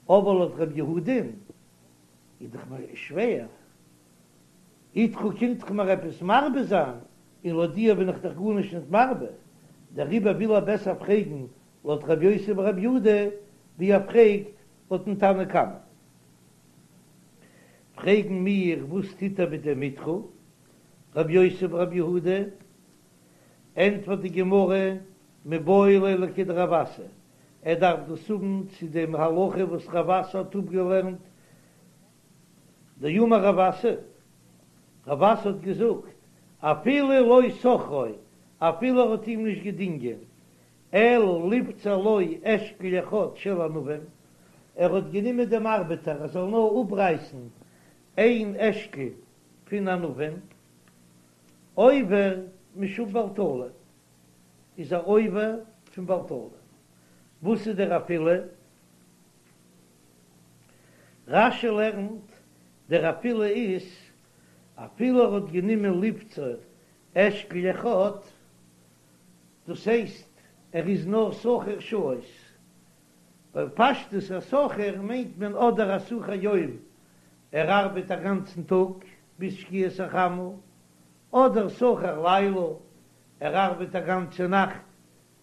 אבער לויט ר' יהודה'ן איז דאך מיר שווער. אתך קומט דאך מיר עפעס מרבה זיין, און לויט דיר בין איך דאך גארנישט נישט מרבה. דעריבער וויל ער בעסער פרעגן לויט ר' יוסי בר' יהודה ווי ער פרעגט לויטן תנא קמא. פרעגן מיר וואס טוט ער מיט דעם אתך, רבי יוסי ברבי יהודה, ענטפערט די גמרא, מיבעי ליה לכדרב אסי, ער דארף דאס האבן צו דעם הלכה וואס רב אסי האט אפגעלערנט, דאמר רב אסי, רב אסי האט געזאגט, אפילו לא שכרו, אפילו ער האט אים נישט געדינגען, אלא לבצור לו אשכול אחד של ענבים, ער האט גענומען דעם ארבעטער ער זאל נאר אפרייסן איין אשכול פון ענבים, עובר משום בל תלין, איז ער עובר פון בל תלין. וואס איז דער אפילו? רש"י לערנט, דער אפילו איז אפילו ער האט גענומען לבצור אשכול אחד, דאס הייסט ער איז נאר שכיר שעות, ווייל פשטות א שכיר מיינט מען אדער א שכיר יום, ער ארבעט א גאנצן טאג ביז שקיעת החמה, אדער שכיר לילה, ער ארבעט א גאנצע נאכט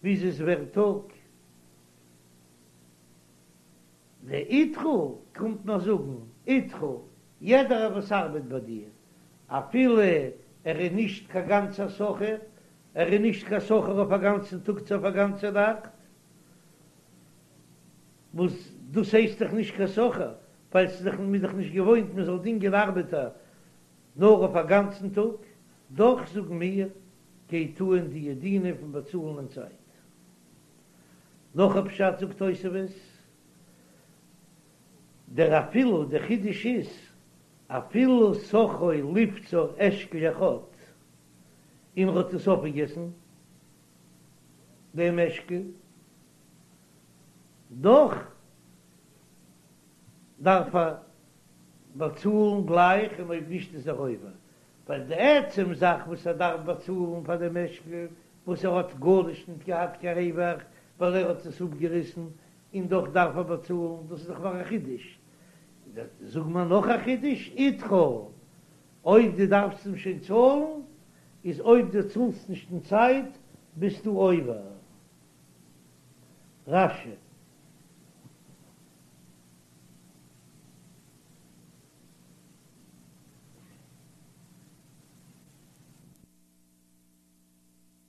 ביז עס ווערט טאג. די אתך קומט מיר זאגן, אתך, יעדערער וואס ארבעט ביי דיר, אפילו ער איז נישט קיין גאנצער שכיר, ער איז נישט קיין שכיר אויף א גאנצן טאג צו אויף א גאנצע נאכט, וואס דאס הייסט דאך נישט קיין שכיר, ווייל ס'איז דאך מ'איז דאך נישט געוואוינט מען זאל דינגען ארבעטער נאר אויף א גאנצן טאג, דאך זאגן מיר, גייט אן די דינים פון באצאלן אין צייט. נאך א פשט זאגט תוספות, דער אפילו, דער חידוש איז, אפילו שכרו לבצור אשכול אחד, און ער האט עס אויפגעגעסן דעם אשכול, דאך דארף ער באצאלן גלייך און אויב נישט איז ער עובר, ווייל די עצם זאך וואס ער דארף באצאלן פאר דעם אשכול וואס ער האט גארנישט ניט געהאט קיין רווח ווייל ער האט עס אפגעריסן און דאך דארף ער באצאלן, דאס איז דאך נאר א חידוש. זאג מיר נאך א חידוש, אתך. אויב דו דארפסט אים שוין צאלן, איז אויב דו צאלסט נישט אין צייט ביסטו עובר. רש"י.